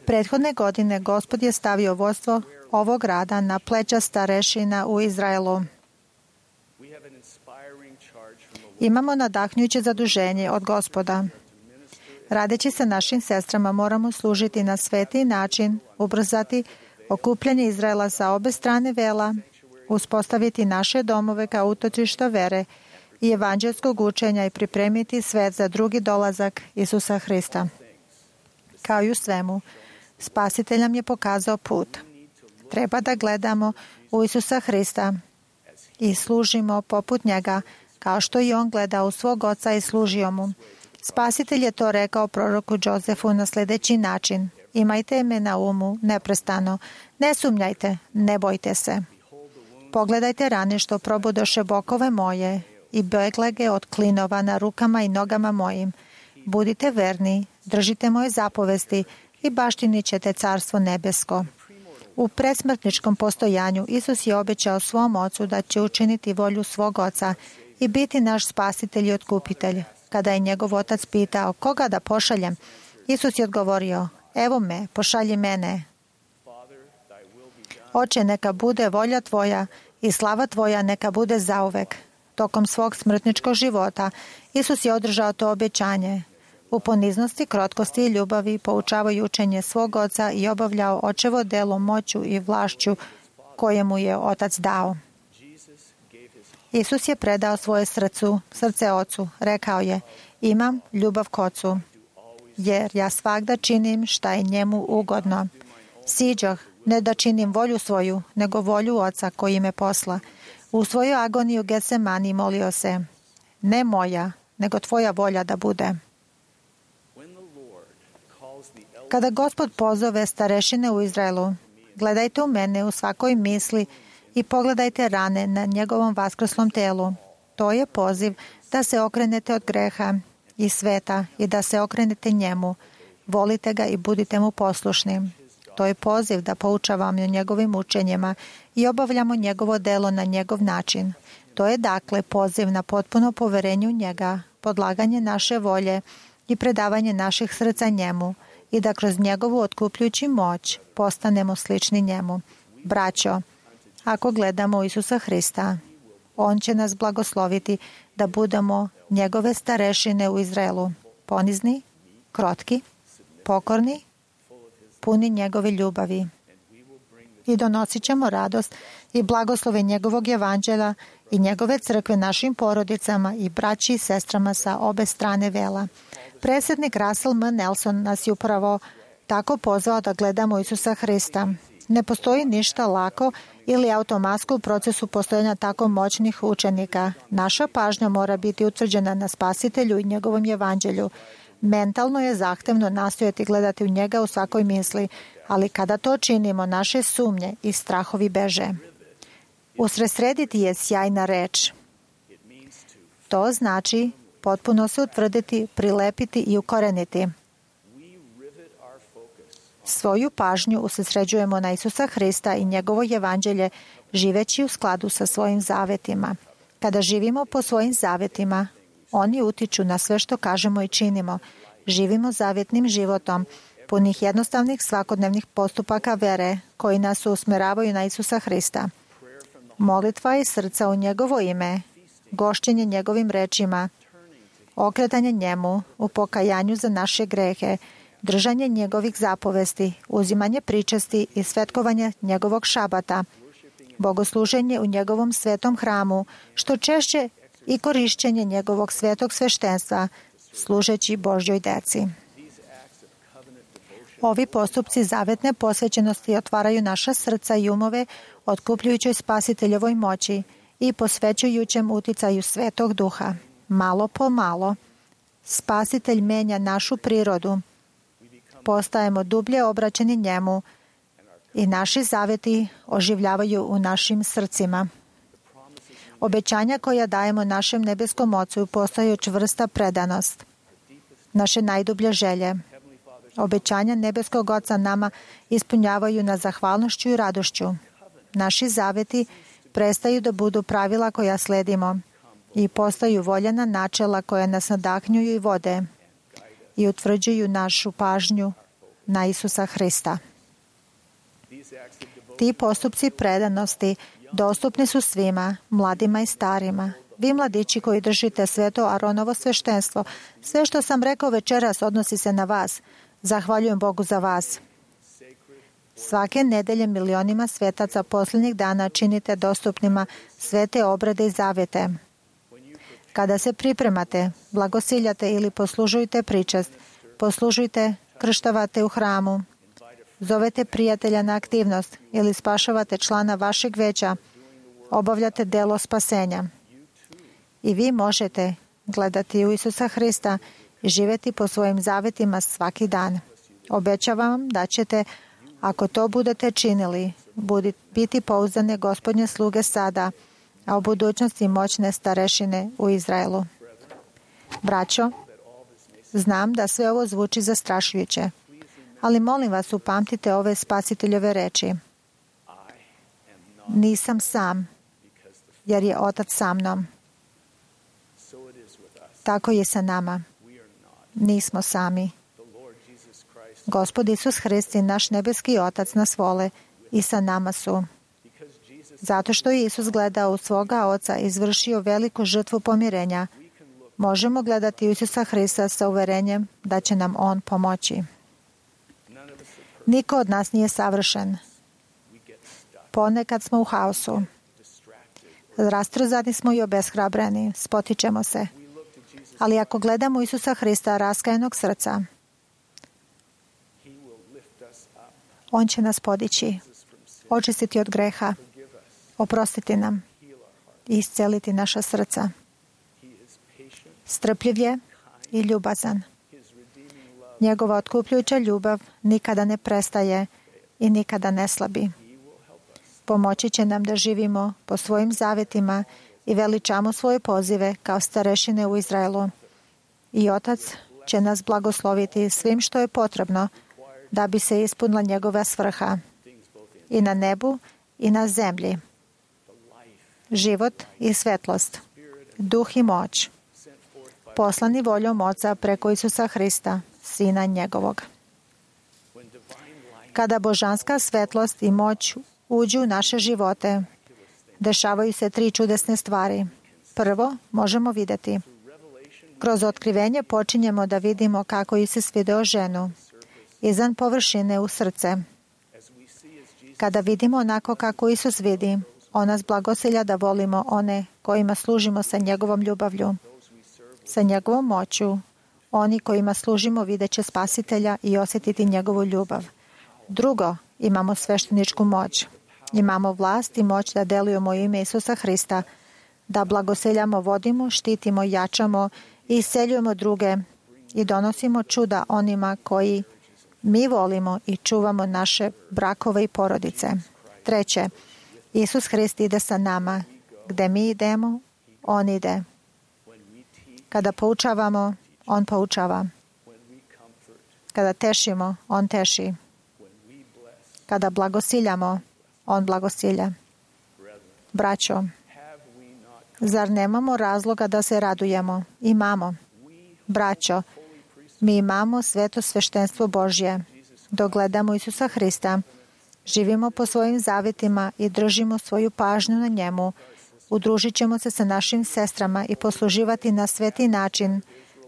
Prethodne godine Gospod je stavio vodstvo ovog rada na pleća starešina u Izraelu. Imamo nadahnjuće zaduženje od Gospoda. Radeći sa našim sestrama moramo služiti na sveti način, ubrzati okupljanje Izraela sa obe strane vela, uspostaviti naše domove kao utočišta vere i evanđelskog učenja i pripremiti svet za drugi dolazak Isusa Hrista. Kao i u svemu, Spasitelj nam je pokazao put. Treba da gledamo u Isusa Hrista i služimo poput njega, kao što i on gleda u svog oca i služio mu. Spasitelj je to rekao proroku Jozefu na sljedeći način. Imajte me na umu neprestano. Ne sumnjajte, ne bojte se. Pogledajte rane što probudoše bokove moje i beglege od klinova na rukama i nogama mojim. Budite verni, držite moje zapovesti i baštinit ćete carstvo nebesko. U predsmrtničkom postojanju Isus je obećao svom ocu da će učiniti volju svog oca i biti naš spasitelj i otkupitelj. Kada je njegov otac pitao koga da pošaljem, Isus je odgovorio, evo me, pošalji mene. Oče, neka bude volja tvoja i slava tvoja neka bude zauvek. Tokom svog smrtničkog života Isus je održao to obećanje. U poniznosti, krotkosti i ljubavi poučavao učenje svog oca i obavljao očevo delo moću i vlašću koje mu je otac dao. Isus je predao svoje srce ocu. Rekao je, imam ljubav k ocu, jer ja svagda činim šta je njemu ugodno. Siđoh, ne da činim volju svoju, nego volju oca koji me posla. U svoju agoniju Getsemani molio se, ne moja, nego tvoja volja da bude. Kada Gospod pozove starešine u Izraelu, gledajte u mene u svakoj misli i pogledajte rane na njegovom vaskrslom telu. To je poziv da se okrenete od greha i sveta i da se okrenete njemu. Volite ga i budite mu poslušni. To je poziv da poučavamo o njegovim učenjima i obavljamo njegovo delo na njegov način. To je dakle poziv na potpuno poverenje u njega, podlaganje naše volje i predavanje naših srca njemu i da kroz njegovu otkupljujući moć postanemo slični njemu. Braćo, ako gledamo Isusa Hrista, on će nas blagosloviti da budemo njegove starešine u Izraelu, ponizni, krotki, pokorni, puni njegove ljubavi. I donosit ćemo radost i blagoslove njegovog evanđelja i njegove crkve našim porodicama i braći i sestrama sa obe strane vela. Predsjednik Russell M. Nelson nas je upravo tako pozvao da gledamo Isusa Hrista. Ne postoji ništa lako ili automatsko u procesu postojanja tako moćnih učenika. Naša pažnja mora biti utvrđena na Spasitelju i njegovom evanđelju. Mentalno je zahtevno nastojati gledati u njega u svakoj misli, ali kada to činimo, naše sumnje i strahovi beže. Usredsrediti je sjajna reč. To znači potpuno se utvrditi, prilepiti i ukoreniti. Svoju pažnju usredsređujemo na Isusa Hrista i njegovo evanđelje, živeći u skladu sa svojim zavetima. Kada živimo po svojim zavetima, oni utiču na sve što kažemo i činimo. Živimo zavjetnim životom, punih jednostavnih svakodnevnih postupaka vere, koji nas usmeravaju na Isusa Hrista. Molitva iz srca u njegovo ime, gošćenje njegovim rečima, okretanje njemu u pokajanju za naše grehe, držanje njegovih zapovesti, uzimanje pričesti i svetkovanje njegovog šabata, bogosluženje u njegovom svetom hramu, što češće i korišćenje njegovog svetog sveštenstva, služeći Božjoj deci. Ovi postupci zavetne posvećenosti otvaraju naša srca i umove otkupljujućoj Spasiteljevoj moći i posvećujućem uticaju Svetog Duha. Malo po malo, Spasitelj menja našu prirodu. Postajemo dublje obraćeni njemu i naši zaveti oživljavaju u našim srcima. Obećanja koja dajemo našem nebeskom Ocu postaju čvrsta predanost. Naše najdublje želje. Obećanja nebeskog Oca nama ispunjavaju na zahvalnošću i radošću. Naši zaveti prestaju da budu pravila koja sledimo i postaju voljena načela koja nas nadahnjuju i vode i utvrđuju našu pažnju na Isusa Hrista. Ti postupci predanosti dostupni su svima, mladima i starima. Vi mladići koji držite sveto Aronovo sveštenstvo, sve što sam rekao večeras odnosi se na vas. Zahvaljujem Bogu za vas. Svake nedelje milionima svetaca posljednjih dana činite dostupnima svete obrede i zavete. Kada se pripremate, blagosiljate ili poslužujete pričest, poslužujte, krštavate u hramu, zovete prijatelja na aktivnost ili spašavate člana vašeg veća, obavljate delo spasenja. I vi možete gledati u Isusa Hrista i živjeti po svojim zavetima svaki dan. Obećavam vam da ćete, ako to budete činili, biti pouzdane Gospodnje sluge sada, a u budućnosti moćne starešine u Izraelu. Braćo, znam da sve ovo zvuči zastrašujuće, ali molim vas upamtite ove Spasiteljove reči. Nisam sam, jer je Otac sa mnom. Tako je sa nama. Nismo sami. Gospod Isus Hrist i naš nebeski Otac nas vole i sa nama su. Zato što je Isus gledao u svoga Oca i izvršio veliku žrtvu pomirenja, možemo gledati u Isusa Hrista sa uverenjem da će nam On pomoći. Niko od nas nije savršen. Ponekad smo u haosu. Rastrzani smo i obeshrabreni. Spotičemo se. Ali ako gledamo Isusa Hrista raskajanog srca, On će nas podići, očistiti od greha, oprostiti nam i isceliti naša srca. strpljiv je i ljubazan. Njegova otkupljujuća ljubav nikada ne prestaje i nikada ne slabi. Pomoći će nam da živimo po svojim zavetima i veličamo svoje pozive kao starešine u Izraelu. I Otac će nas blagosloviti svim što je potrebno da bi se ispunila njegova svrha i na nebu i na zemlji. Život i svetlost, duh i moć, poslani voljom Oca preko Isusa Hrista, Sina njegovog. Kada božanska svetlost i moć uđu u naše živote, dešavaju se 3 čudesne stvari. Prvo, možemo vidjeti. Kroz otkrivenje počinjemo da vidimo kako Isus video ženu, izvan površine u srce. Kada vidimo onako kako Isus vidi, on nas blagosilja da volimo one kojima služimo sa njegovom ljubavlju, sa njegovom moću. Oni kojima služimo vidjet će Spasitelja i osjetiti njegovu ljubav. Drugo, imamo svešteničku moć. Imamo vlast i moć da delujemo ime Isusa Hrista, da blagoseljamo, vodimo, štitimo, jačamo i isceljujemo druge i donosimo čuda onima koji mi volimo i čuvamo naše brakove i porodice. Treće, Isus Hrist ide sa nama. Gde mi idemo, on ide. Kada poučavamo, on poučava. Kada tešimo, on teši. Kada blagosiljamo, on blagosilja. Braćo, zar nemamo razloga da se radujemo? Imamo. Braćo, mi imamo sveto sveštenstvo Božje. Dok gledamo Isusa Hrista, živimo po svojim zavetima i držimo svoju pažnju na njemu. Udružit ćemo se sa našim sestrama i posluživati na sveti način,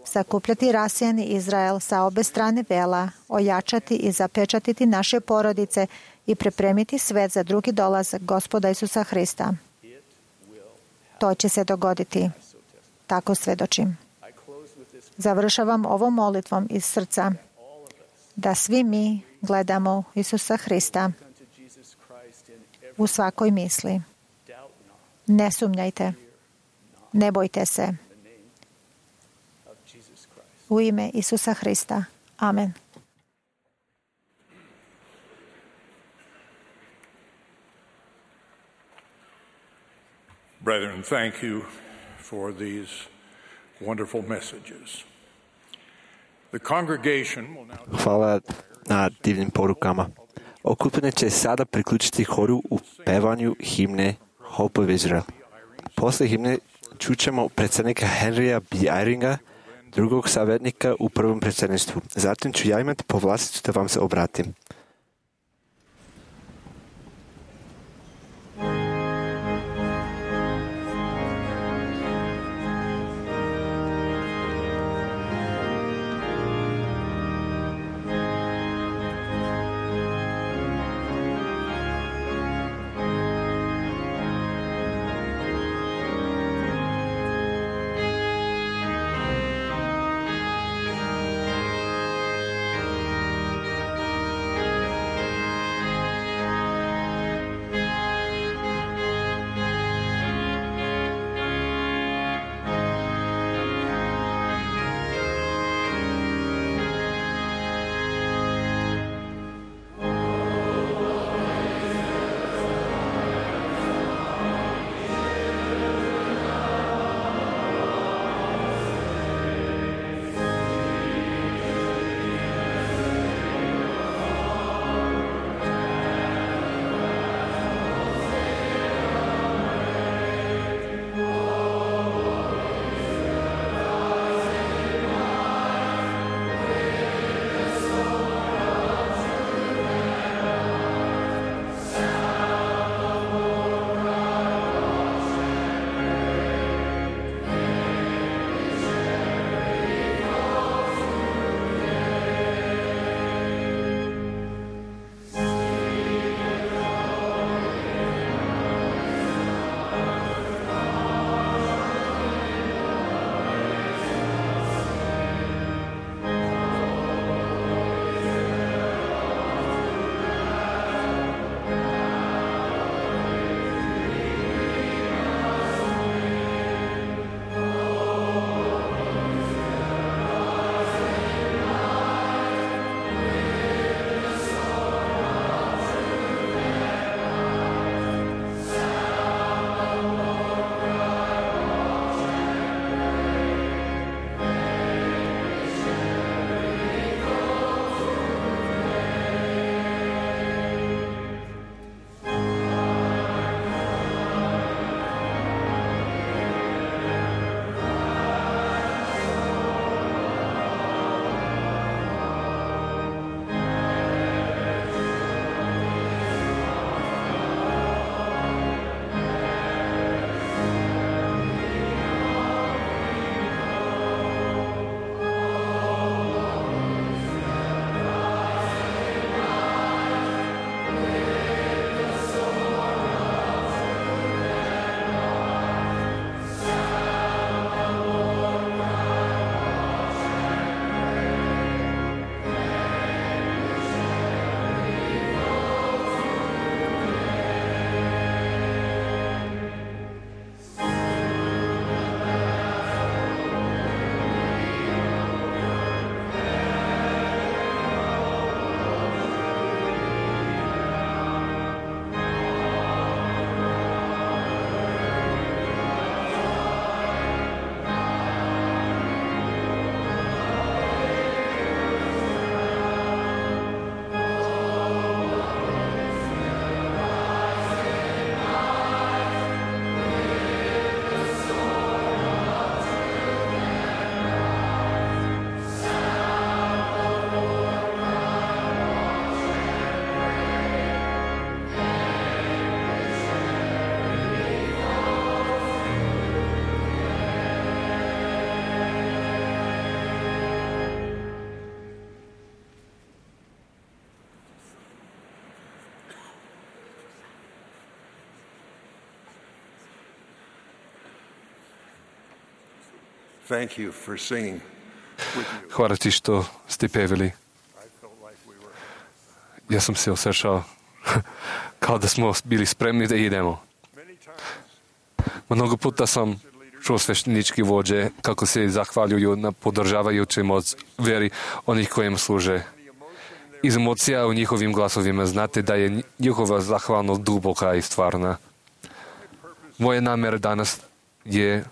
sakupljati rasijani Izrael sa obe strane vela, ojačati i zapečatiti naše porodice i pripremiti svet za drugi dolazak Gospoda Isusa Hrista. To će se dogoditi. Tako svedočim. Završavam ovom molitvom iz srca da svi mi gledamo Isusa Hrista u svakoj misli. Ne sumnjajte. Ne bojte se. U ime Isusa Hrista. Amen. Brethren, thank you for these wonderful messages. The congregation will now... Hvala na divnim porukama. Okupljanje će sada priključiti horu u pevanju himne Hope of Israel. Posle himne čućemo predsjednika Henrya B. Eyringa, drugog savjetnika u prvom predsjedništvu. Zatim ću ja imati povlasticu da vam se obratim. Thank you for singing with you. Hvala ti što ste pevili. I felt like we were. Ja sam se osjećao kao da smo bili spremni da idemo. Many times, Mnogo puta sam čuo sveštenički vođe kako se zahvaljuju na podržavajućoj moć veri onih kojim služe. Iz emocija u njihovim glasovima znate da je njihova zahvalnost duboka i stvarna. Moja namjera danas je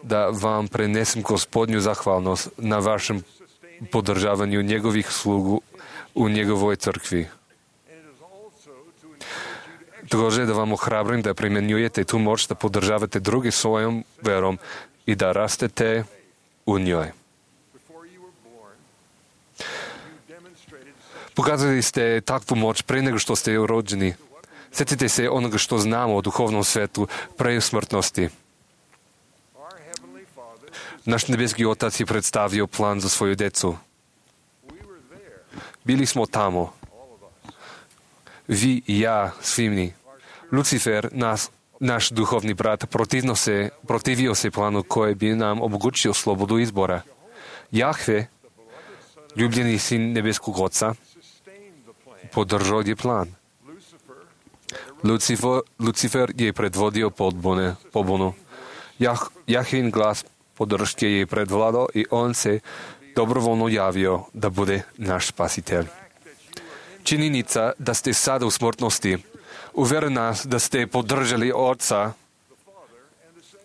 da vam prenesem Gospodnju zahvalnost na vašem podržavanju njegovih slugu u njegovoj crkvi. Također da vam ohrabrim da primjenjujete tu moć da podržavate drugi svojom verom i da rastete u njoj. Pokazali ste takvu moć pre nego što ste rođeni. Sjetite se onoga što znamo o duhovnom svetu pre smrtnosti. Naš nebeski Otac je predstavio plan za svoju decu. Bili smo tamo. Vi i ja, svi mi. Lucifer, naš duhovni brat, protivio se planu koji bi nam omogućio slobodu izbora. Jahve, ljubljeni sin nebeskog Oca, podržao je plan. Lucifer je predvodio pobunu. Jahvin glas podrške je predvladao i on se dobrovoljno javio da bude naš spasitelj. Činjenica da ste sada u smrtnosti uvjeri nas da ste podržali Oca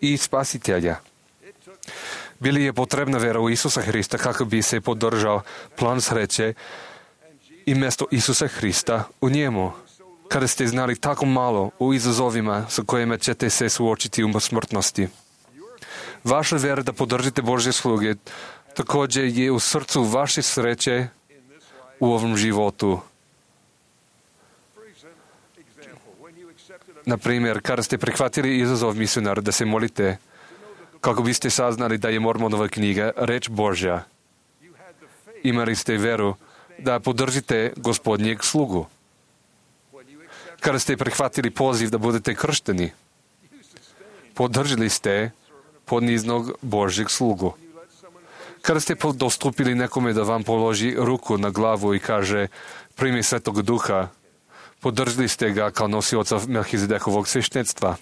i Spasitelja. Bili je potrebna vera u Isusa Hrista kako bi se podržao plan sreće i mjesto Isusa Hrista u njemu. Kada ste znali tako malo u izazovima sa kojima ćete se suočiti u smrtnosti. Vaša vera da podržite Božje sluge također je u srcu vaše sreće u ovom životu. Na primjer, kada ste prihvatili izazov misionara da se molite, kako biste saznali da je Mormonova knjiga reč Božja, imali ste veru da podržite Gospodnjeg slugu. Kada ste prihvatili poziv da budete kršteni, podržali ste poniznog Božjeg slugu. Kada ste dostupili nekome da vam položi ruku na glavu i kaže primi Svetog Duha, podržali ste ga kao nosioca Melhizedekovog sveštenstva.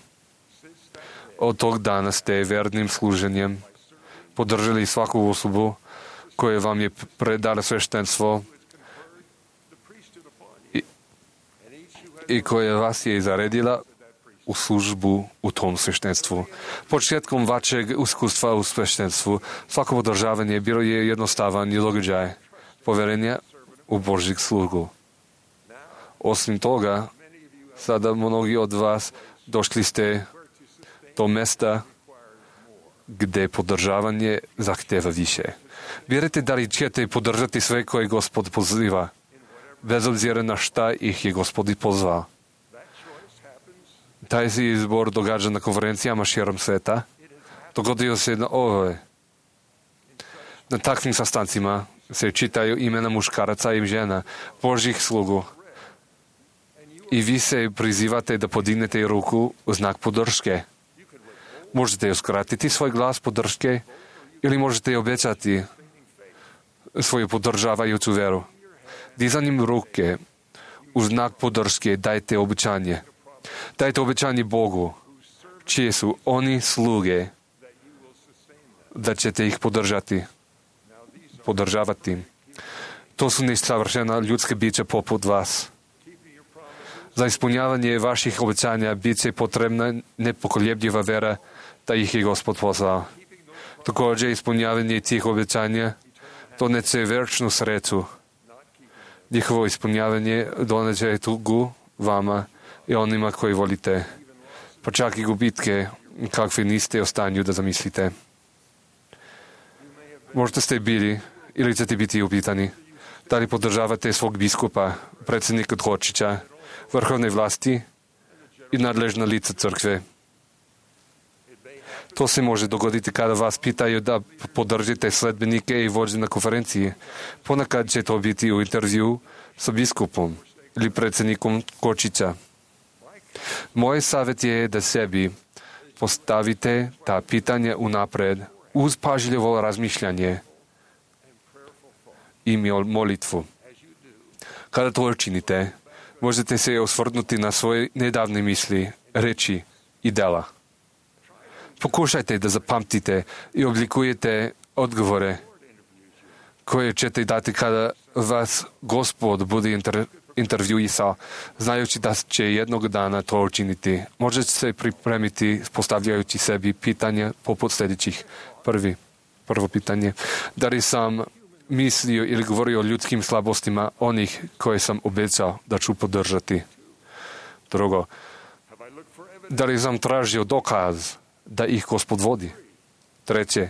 Od tog dana ste vernim služenjem podržali svaku osobu koja vam je predala sveštenstvo i koja vas je zaredila u službu u tom sveštenstvu. Početkom vašeg iskustva u sveštenstvu svako podržavanje bilo je jednostavan događaj poverenja u Božjeg slugu. Osim toga, sada mnogi od vas došli ste do mjesta gdje podržavanje zahtjeva više. Vjerujete da li ćete podržati sve koje Gospod poziva, bez obzira na šta ih je Gospod pozvao. Taj se izbor događa na konferencijama širom sveta. Dogodio se na takvim sastancima se čitaju imena muškaraca i žena, Božjih slugu. I vi se prizivate da podignete ruku u znak podrške. Možete uskratiti svoj glas podrške ili možete obećati svoju podržavajuću veru. Dizanjem ruke u znak podrške dajte obećanje. Dajte obećanje Bogu, čije su oni sluge, da ćete ih podržavati. To su nesavršena ljudska bića poput vas. Za ispunjavanje vaših obećanja bit će potrebna nepokolebljiva vera da ih je Gospod poslao. Također ispunjavanje tih obećanja doneće vječnu sreću. Njihovo ispunjavanje doneće tugu vama i onima koji volite, pa čak i gubitke kakve niste u stanju da zamislite. Možda ste bili ili ćete biti upitani da li podržavate svog biskupa, predsjednika Kočića, vrhovne vlasti i nadležna lica crkve. To se može dogoditi kada vas pitaju da podržite sledbenike i vođe na konferenciji. Ponekad će to biti u intervju sa biskupom ili predsjednikom Kočića. Moj savjet je da sebi postavite ta pitanja unapred uz pažljivo razmišljanje i molitvu. Kada to učinite, možete se osvrnuti na svoje nedavne misli, reči i dela. Pokušajte da zapamtite i oblikujete odgovore koje ćete dati kada vas Gospod bude intervjuisao, znajući da će jednog dana to učiniti. Možete se pripremiti postavljajući sebi pitanja poput sljedećih. Prvo pitanje. Da li sam mislio ili govorio o ljudskim slabostima onih koje sam obećao da ću podržati? Drugo. Da li sam tražio dokaz da ih Gospod vodi? Treće.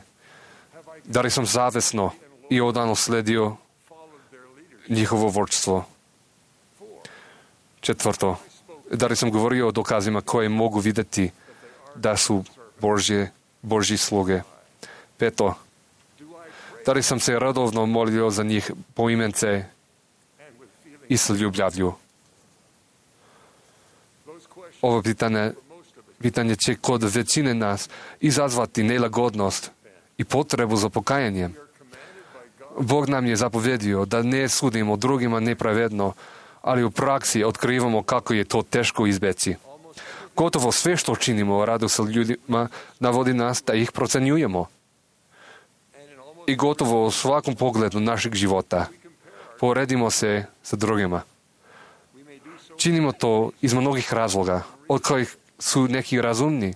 Da li sam zavesno i odano sledio njihovo vodstvo? Četvrto. Da li sam govorio o dokazima koje mogu vidjeti da su Božji sluge? Peto. Da li sam se radovno molio za njih poimence i s ljubavlju? Ovo pitanje će kod većine nas izazvati nelagodnost i potrebu za pokajanjem. Bog nam je zapovedio da ne sudimo drugima nepravedno, ali u praksi otkrivamo kako je to teško izbeći. Gotovo sve što činimo radu sa ljudima navodi nas da ih procenjujemo. I gotovo u svakom pogledu našeg života poredimo se sa drugima. Činimo to iz mnogih razloga, od kojih su neki razumni,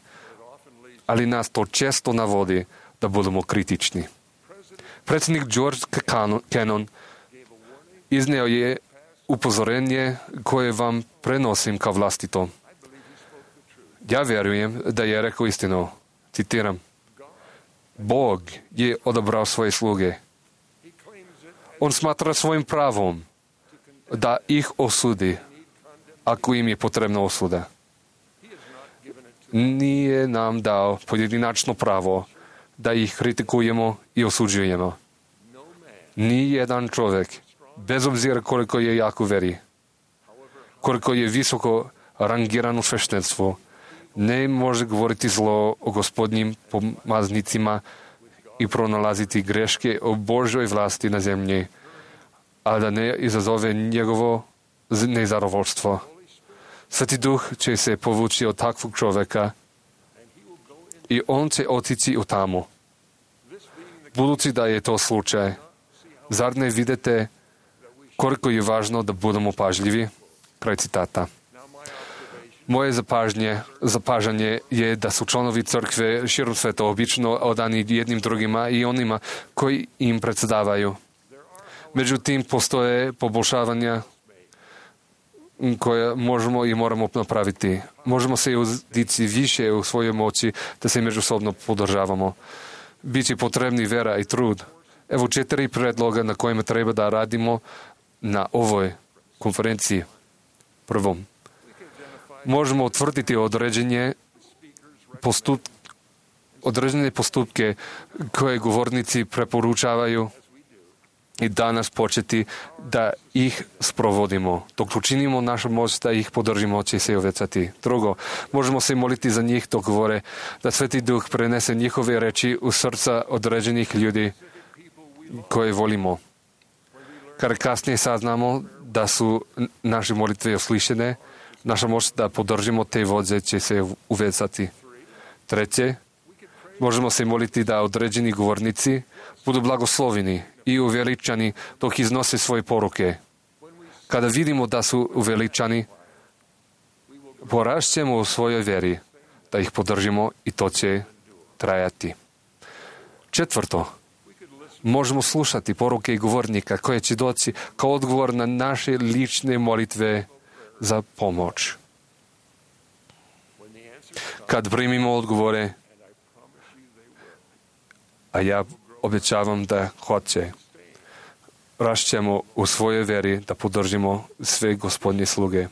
ali nas to često navodi da budemo kritični. Predsjednik George Kennan izneo je upozorenje koje vam prenosim kao vlastito. Ja vjerujem da je rekao istinu. Citiram. Bog je odabrao svoje sluge. On smatra svojim pravom da ih osudi ako im je potrebna osuda. Nije nam dao pojedinačno pravo da ih kritikujemo i osuđujemo. Nijedan čovjek, bez obzira koliko je jak u veri, koliko je visoko rangiran u sveštenstvu, ne može govoriti zlo o Gospodnjim pomaznicima i pronalaziti greške o Božoj vlasti na zemlji, a da ne izazove njegovo nezadovoljstvo. Sveti Duh će se povući od takvog čovjeka i on će otići u tamu. Budući da je to slučaj, zar ne vidite koliko je važno da budemo pažljivi? Kraj citata. Moje zapažanje je da su članovi crkve širom sveta obično odani jednim drugima i onima koji im predsjedavaju. Međutim, postoje poboljšavanja koje možemo i moramo napraviti. Možemo se uzdići više u svojoj moći da se međusobno podržavamo. Biće potrebni vera i trud. Evo 4 predloga na kojima treba da radimo na ovoj konferenciji. Prvo, možemo utvrditi određene postupke koje govornici preporučavaju i danas početi da ih sprovodimo. Dok učinimo našu moć da ih podržimo, će se uvećati. Drugo, možemo se moliti za njih dok govore da Sveti Duh prenese njihove reči u srca određenih ljudi koje volimo. Kada kasnije saznamo da su naše molitve uslišene, naša moć da podržimo te vođe će se uvećati. Treće, možemo se moliti da određeni govornici budu blagosloveni i uveličani dok iznose svoje poruke. Kada vidimo da su uveličani, porašćemo u svojoj veri da ih podržimo i to će trajati. Četvrto, možemo slušati poruke i govornika koje će doći kao odgovor na naše lične molitve za pomoć. Kad primimo odgovore, a ja obećavam da hoće, rašćemo u svojoj veri da podržimo sve Gospodnje sluge.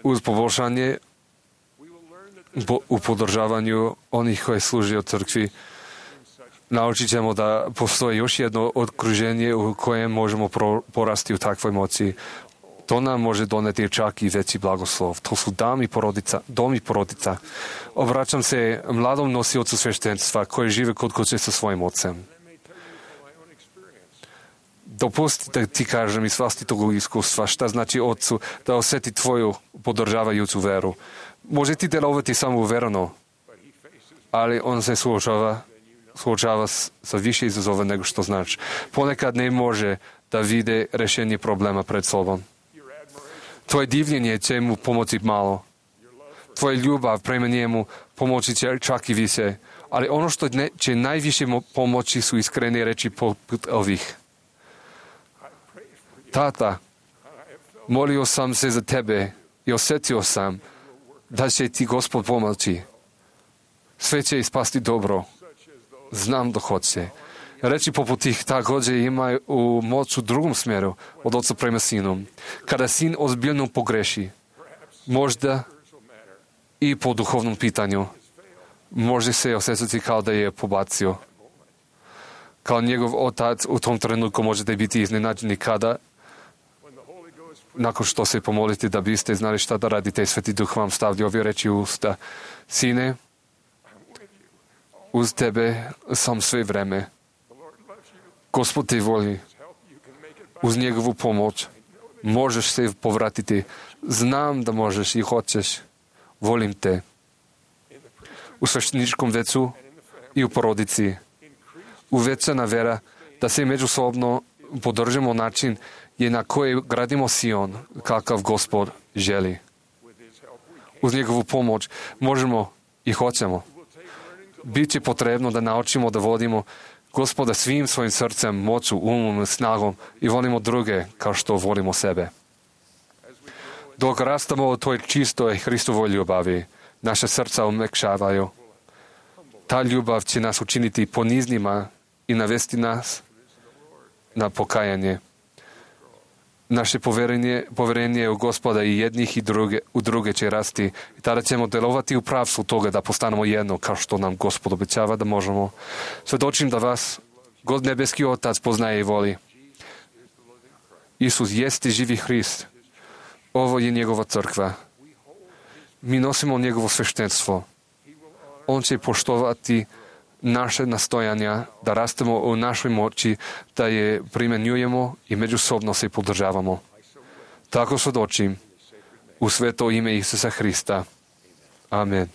Uz poboljšanje u podržavanju onih koji služe u crkvi, naučit ćemo da postoji još jedno okruženje u kojem možemo porasti u takvoj moći. To nám môže doneti čak i veći blagoslov. To sú dom i porodica. Obraćam se mladom nosiocu sveštenstva koji žive kod kuće sa svojim ocem. Dopusti da ti kažem iz vlastitog iskustva šta znači ocu da osjeti tvoju podržavajuću veru. Može ti delovati samo uvereno, ali on se suočava sa više izazova nego što znači. Ponekad ne može da vide rešenje problema pred sobom. Tvoje divljenje će mu pomoći malo. Tvoja ljubav prema njemu pomoći će čak i više. Ali ono što će najviše pomoći su iskrene reči poput ovih. Tata, molio sam se za tebe i osjetio sam da će ti Gospod pomoći. Sve će ispasti dobro. Znam da hoće. Reći poput tih također imaju moć u drugom smjeru od oca prema sinu. Kada sin ozbiljno pogreši, možda i po duhovnom pitanju, može se osjećati kao da je pobacio. Kao njegov otac u tom trenutku možete biti iznenađeni kada, nakon što se pomolite da biste znali šta da radite, Sveti Duh vam stavlja ove reči u usta. Sine, uz tebe sam sve vreme. Gospod te voli. Uz njegovu pomoć možeš se povratiti. Znam da možeš i hoćeš. Volim te. U svešteničkom vecu i u porodici. Uvećana vera da se međusobno podržimo način je na koji gradimo Sion, kakav Gospod želi. Uz njegovu pomoć možemo i hoćemo. Biće potrebno da naučimo da vodimo Gospoda svim svojim srcem, moću, umom, snagom i volimo druge kao što volimo sebe. Dok rastamo u toj čistoj Hristovoj ljubavi, naše srca omekšavaju. Ta ljubav će nas učiniti poniznima i navesti nas na pokajanje. Naše poverenje u Gospoda i jednih i u druge će rasti i tada ćemo delovati u pravcu toga da postanemo jedno kao što nam Gospod obećava da možemo. Svedočim da vas nebeski Otac poznaje i voli. Isus jeste živi Hrist. Ovo je njegova crkva. Mi nosimo njegovo sveštenstvo. On će poštovati naše nastojanja da rastemo u našoj moći, da je primjenjujemo i međusobno se podržavamo. Tako svedočim u sveto ime Isusa Hrista. Amen.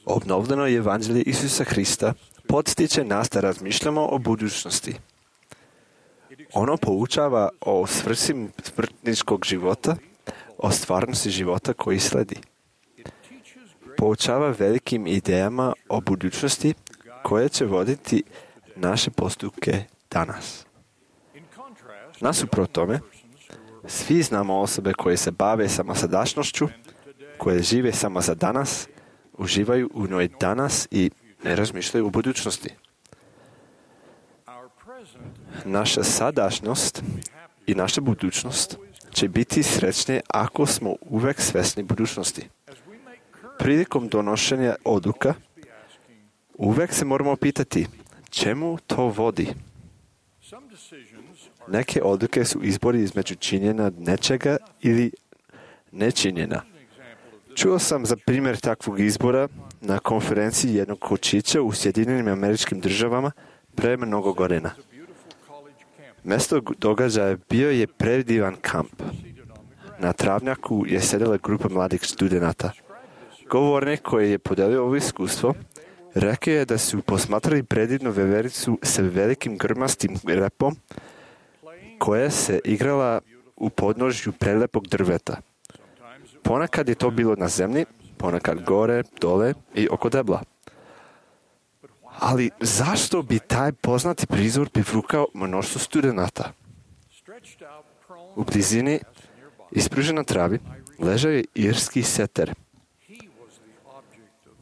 Obnovljeno evanđelje Isusa Hrista podstiče nas da razmišljamo o budućnosti. Ono poučava o svrsi smrtničkog života, o stvarnosti života koji sledi. Poučava velikim idejama o budućnosti koje će voditi naše postupke danas. Nasuprot tome, svi znamo osobe koje se bave samo sadašnjošću, koje žive samo za danas, uživaju u njoj danas i ne razmišljaju o budućnosti. Naša sadašnjost i naša budućnost će biti srećne ako smo uvek svesni budućnosti. Prilikom donošenja odluka uvek se moramo pitati čemu to vodi. Neke odluke su izbori između činjenja nečega ili nečinjenja. Čuo sam za primjer takvog izbora na konferenciji jednog kočića u Sjedinjenim Američkim Državama pre mnogo godina. Mesto događaja bio je predivan kamp. Na travnjaku je sedela grupa mladih studenata. Govornik koji je podelio ovo iskustvo rekao je da su posmatrali predivnu vevericu sa velikim grmastim repom koja se igrala u podnožju prelepog drveta. Ponekad je to bilo na zemlji, ponekad gore, dole i oko debla. Ali zašto bi taj poznati prizor privukao mnoštvo studenata? U blizini, ispružen na travi, ležao je irski seter.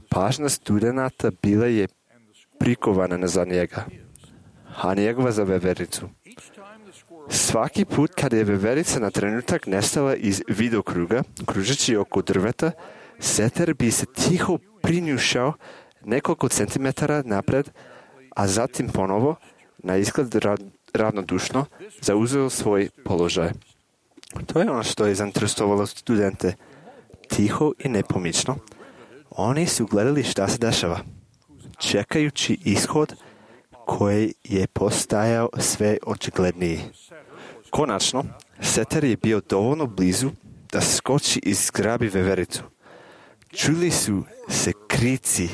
Pažnja studenata bila je prikovana za njega, a njegova za vevericu. Svaki put kada je veverica na trenutak nestala iz vidokruga, kružeći oko drveta, seter bi se tiho prinjušao nekoliko centimetara napred, a zatim ponovo, na izgled ravnodušno, zauzeo svoj položaj. To je ono što je zainteresovalo studente. Tiho i nepomično. Oni su gledali šta se dešava, čekajući ishod koji je postajao sve očigledniji. Konačno, seter je bio dovoljno blizu da skoči i zgrabi vevericu. Čuli su se krici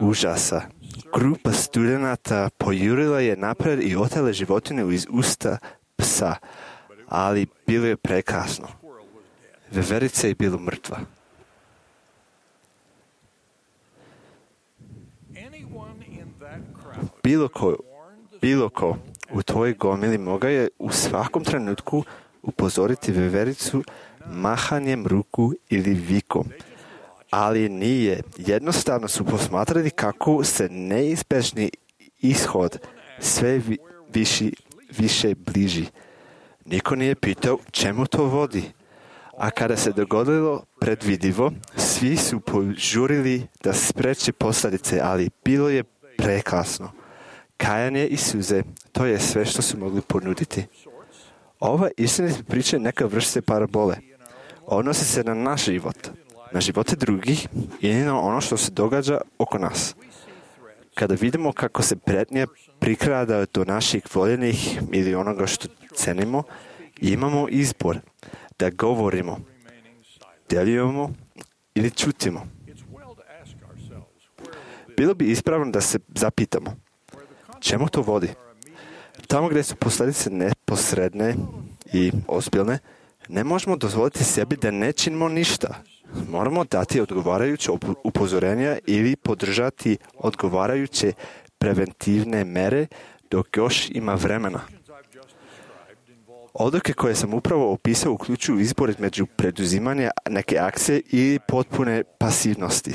užasa. Grupa studenata pojurila je napred i otela životinju iz usta psa, ali bilo je prekasno. Veverica je bila mrtva. Bilo ko u toj gomili mogao je u svakom trenutku upozoriti vevericu mahanjem ruku ili vikom. Ali nije. Jednostavno su posmatrali kako se neizbežni ishod sve više bliži. Niko nije pitao čemu to vodi. A kada se dogodilo predvidivo, svi su požurili da spreče posljedice, ali bilo je prekasno. Kajanje i suze, to je sve što su mogli ponuditi. Ova istinita priča je neka vrsta parabole. Odnosi se na naš život, na živote drugih i na ono što se događa oko nas. Kada vidimo kako se prijetnja prikrada do naših voljenih ili onoga što cenimo, imamo izbor da govorimo, djelujemo ili čutimo. Bilo bi ispravno da se zapitamo, čemu to vodi? Tamo gdje su posljedice neposredne i ozbiljne, ne možemo dozvoliti sebi da ne činimo ništa. Moramo dati odgovarajuće upozorenja ili podržati odgovarajuće preventivne mere dok još ima vremena. Odluke koje sam upravo opisao uključuju izbor između preduzimanja neke akcije i potpune pasivnosti.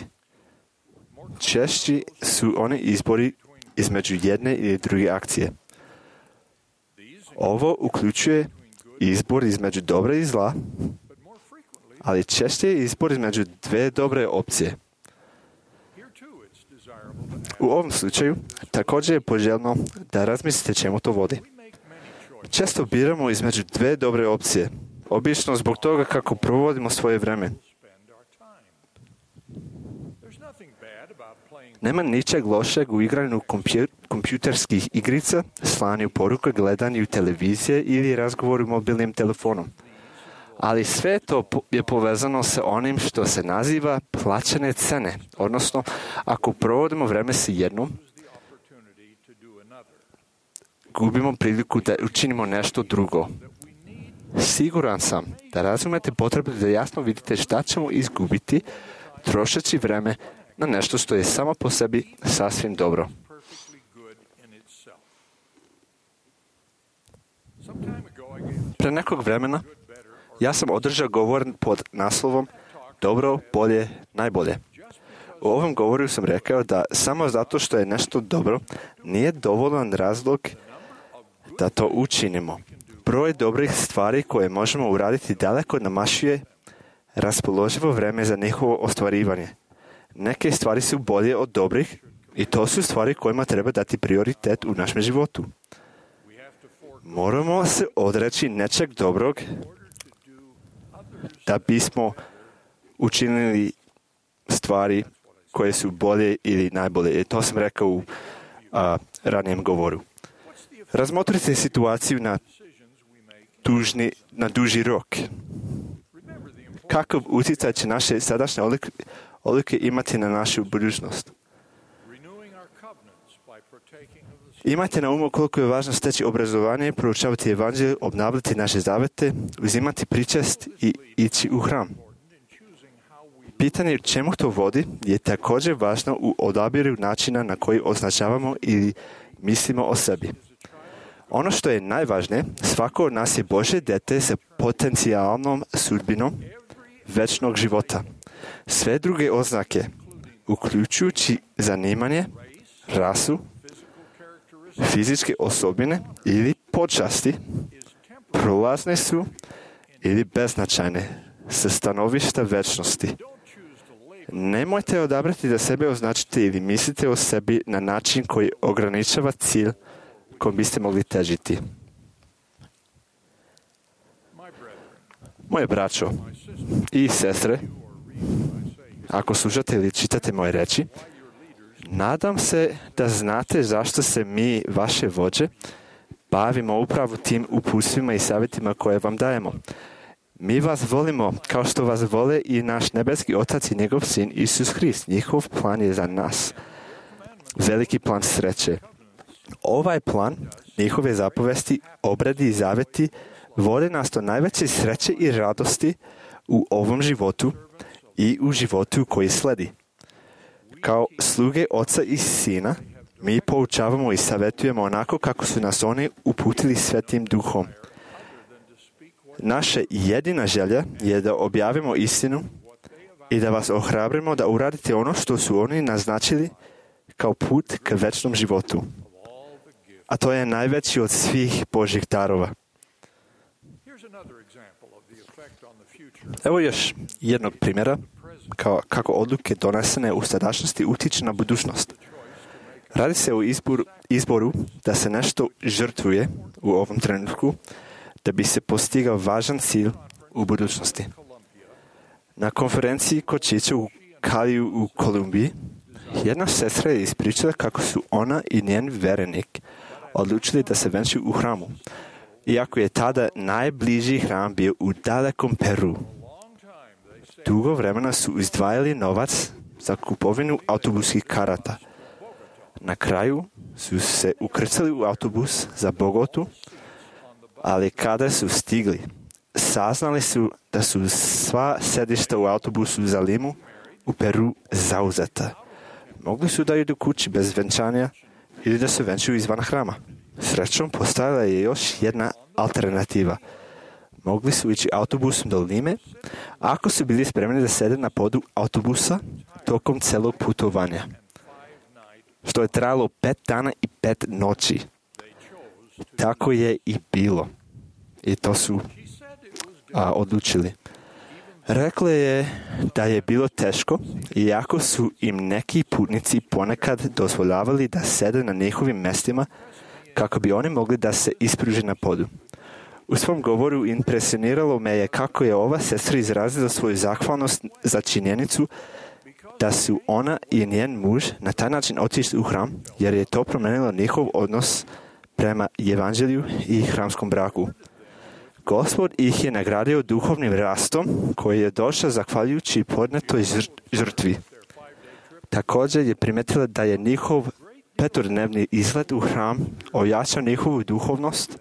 Češći su oni izbori između jedne ili druge akcije. Ovo uključuje izbor između dobra i zla, ali češće je izbor između dve dobre opcije. U ovom slučaju također je poželjno da razmislite čemu to vodi. Često biramo između dve dobre opcije, obično zbog toga kako provodimo svoje vrijeme. Nema ničeg lošeg u igranju kompjuterskih igrica, slanju poruka, gledanju televizije ili razgovoru mobilnim telefonom. Ali sve to je povezano sa onim što se naziva plaćene cene, odnosno ako provodimo vrijeme sa jednom, gubimo priliku da učinimo nešto drugo. Siguran sam da razumete potrebu da jasno vidite šta ćemo izgubiti trošeći vrijeme na nešto što je samo po sebi sasvim dobro. Pre nekog vremena ja sam održao govor pod naslovom Dobro, bolje, najbolje. U ovom govoru sam rekao da samo zato što je nešto dobro nije dovoljan razlog da to učinimo. Broj dobrih stvari koje možemo uraditi daleko namašuje raspoloživo vrijeme za njihovo ostvarivanje. Neke stvari su bolje od dobrih i to su stvari kojima treba dati prioritet u našem životu. Moramo se odreći nečeg dobrog da bismo učinili stvari koje su bolje ili najbolje. I to sam rekao u ranijem govoru. Razmotrite situaciju na duži rok. Kakav utjecaj će naše sadašnje odluke imati na našu budućnost? Imajte na umu koliko je važno steći obrazovanje, proučavati evanđelje, obnavljati naše zavete, uzimati pričest i ići u hram. Pitanje čemu to vodi je također važno u odabiru načina na koji označavamo ili mislimo o sebi. Ono što je najvažnije, svako od nas je Božje dijete sa potencijalnom sudbinom večnog života. Sve druge oznake, uključujući zanimanje, rasu, fizičke osobine ili počasti prolazne su ili beznačajne sa stanovišta večnosti. Nemojte odabrati da sebe označite ili mislite o sebi na način koji ograničava cilj kojim biste mogli težiti. Moje braćo i sestre, ako slušate ili čitate moje reči, nadam se da znate zašto se mi, vaše vođe, bavimo upravo tim uputstvima i savjetima koje vam dajemo. Mi vas volimo kao što vas vole i naš nebeski Otac i njegov Sin Isus Hrist. Njihov plan je za nas. Veliki plan sreće. Ovaj plan, njihove zapovesti, obredi i zaveti vode nas do najveće sreće i radosti u ovom životu i u životu koji sledi. Kao sluge Oca i Sina, mi poučavamo i savjetujemo onako kako su nas oni uputili Svetim Duhom. Naša jedina želja je da objavimo istinu i da vas ohrabrimo da uradite ono što su oni naznačili kao put k večnom životu. A to je najveći od svih Božjih darova. Evo još jednog primjera kako odluke donesene u sadašnjosti utiču na budućnost. Radi se o izboru da se nešto žrtvuje u ovom trenutku da bi se postigao važan cilj u budućnosti. Na konferenciji kod Čića u Kaliju u Kolumbiji, jedna sestra je ispričala kako su ona i njen verenik odlučili da se venčaju u hramu, iako je tada najbliži hram bio u dalekom Peru. Dugo vremena su izdvajali novac za kupovinu autobuskih karata. Na kraju su se ukrcali u autobus za Bogotu, ali kada su stigli, saznali su da su sva sedišta u autobusu za Limu u Peru zauzeta. Mogli su da idu kući bez venčanja ili da se venčaju izvan hrama. Srećom, postojala je još jedna alternativa. Mogli su ići autobusom do Lime, ako su bili spremni da sede na podu autobusa tokom celog putovanja, što je trajalo 5 dana i 5 noći. Tako je i bilo. I to su odlučili. Rekla je da je bilo teško, iako su im neki putnici ponekad dozvoljavali da sede na njihovim mestima kako bi oni mogli da se ispruže na podu. U svom govoru impresioniralo me je kako je ova sestra izrazila svoju zahvalnost za činjenicu da su ona i njen muž na taj način otišli u hram, jer je to promenilo njihov odnos prema evanđelju i hramskom braku. Gospod ih je nagradio duhovnim rastom koji je došao zahvaljujući podnetoj žrtvi. Također je primetila da je njihov 5-dnevni izlet u hram ojačao njihovu duhovnost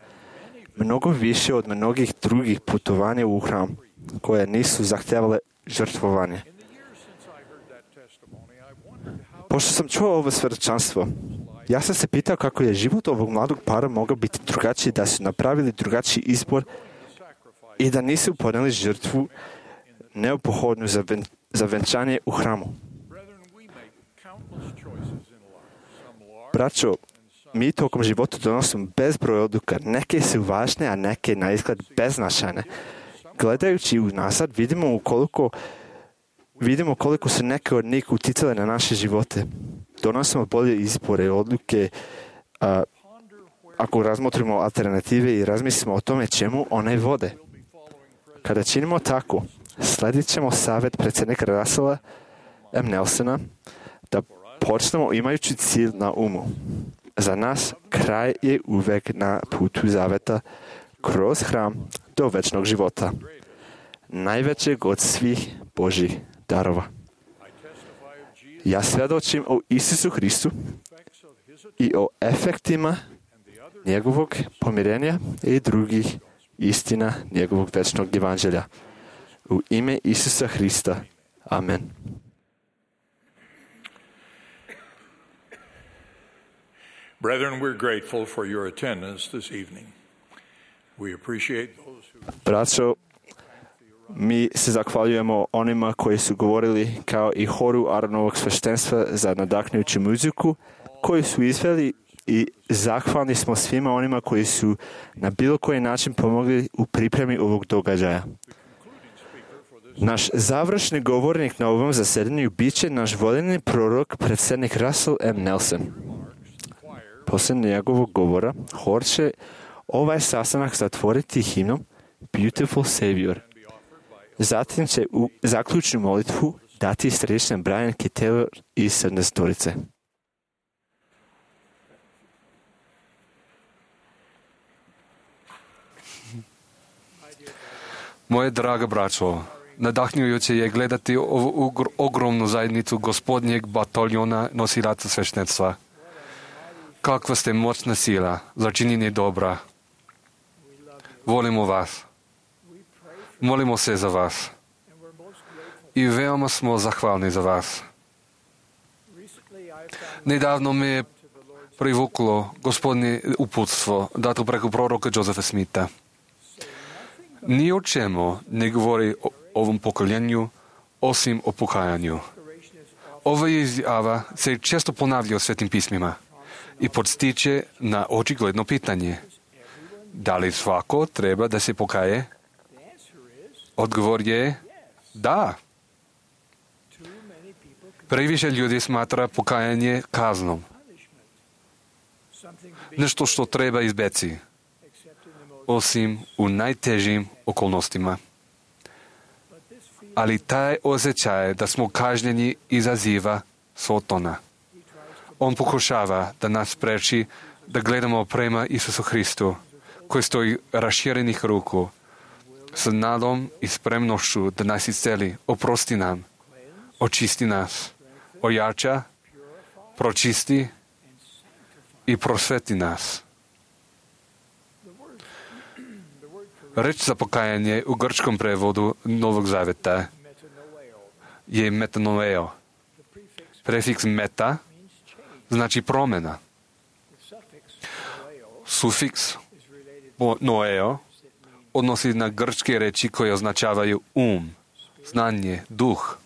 mnogo više od mnogih drugih putovanja u hram koje nisu zahtjevale žrtvovanje. Pošto sam čuo ovo svjedočanstvo, ja sam se pitao kako je život ovog mladog para mogao biti drugačiji da su napravili drugačiji izbor i da nisu podnijeli žrtvu neophodnu za venčanje u hramu. Braćo, mi tokom života donosimo bezbroj odluka. Neke su važne, a neke na izgled beznačajne. Gledajući unazad, vidimo koliko su neke od njih uticale na naše živote. Donosimo bolje izbore, odluke, ako razmotrimo alternative i razmislimo o tome čemu one vode. Kada činimo tako, sledit ćemo savjet predsjednika Russella M. Nelsona da počnemo imajući cilj na umu. Za nas kraj je uvek na putu zaveta kroz hram do večnog života, najvećeg od svih Božjih darova. Ja svjedočim o Isusu Hristu i o efektima njegovog pomirenja i drugih istina njegovog večnog evanđelja. U ime Isusa Hrista. Amen. Brethren, we're grateful for your attendance this evening. We appreciate those who... Braćo, mi se zahvaljujemo onima koji su govorili kao i horu Aronovog sveštenstva za nadahnujuću muziku, koji su izveli i zahvalni smo svima onima koji su na bilo koji način pomogli u pripremi ovog događaja. Naš završni govornik na ovom zasedanju bit će naš voljeni prorok, predsjednik Russell M. Nelson. Poslije njegovog govora, hor će ovaj sastanak zatvoriti himnom Beautiful Savior. Zatim će u zaključnu molitvu dati središnja Brian Kittelor iz 17-torice. Moje draga braćo, nadahnjujuće je gledati ovu ogromnu zajednicu gospodnjeg bataljona nosilaca sveštenstva. Kakva ste moćna sila za činjenje dobra. Volimo vas. Molimo se za vas. I veoma smo zahvalni za vas. Nedavno me je privuklo gospodnje uputstvo dato preko proroka Josefa Smitha. Ni o čemu ne govori o ovom pokoljenju osim o pokajanju. Ova izjava se često ponavlja u Svetim pismima i podstiče na očigledno pitanje. Da li svako treba da se pokaje? Odgovor je da. Previše ljudi smatra pokajanje kaznom. Nešto što treba izbjeći, osim u najtežim okolnostima. Ali taj osjećaj da smo kažnjeni izaziva Sotona. On pokušava da nas spreči da gledamo prema Isusu Hristu, koji stoji raširenih ruku, s nadom i spremnošću da nas isceli, oprosti nam, očisti nas, ojača, pročisti i prosveti nas. Reč za pokajanje u grčkom prevodu Novog Zaveta je metanoeo. Prefiks meta znači promjena. Sufiks noeo odnosi na grčke reči koje označavaju znanje, duh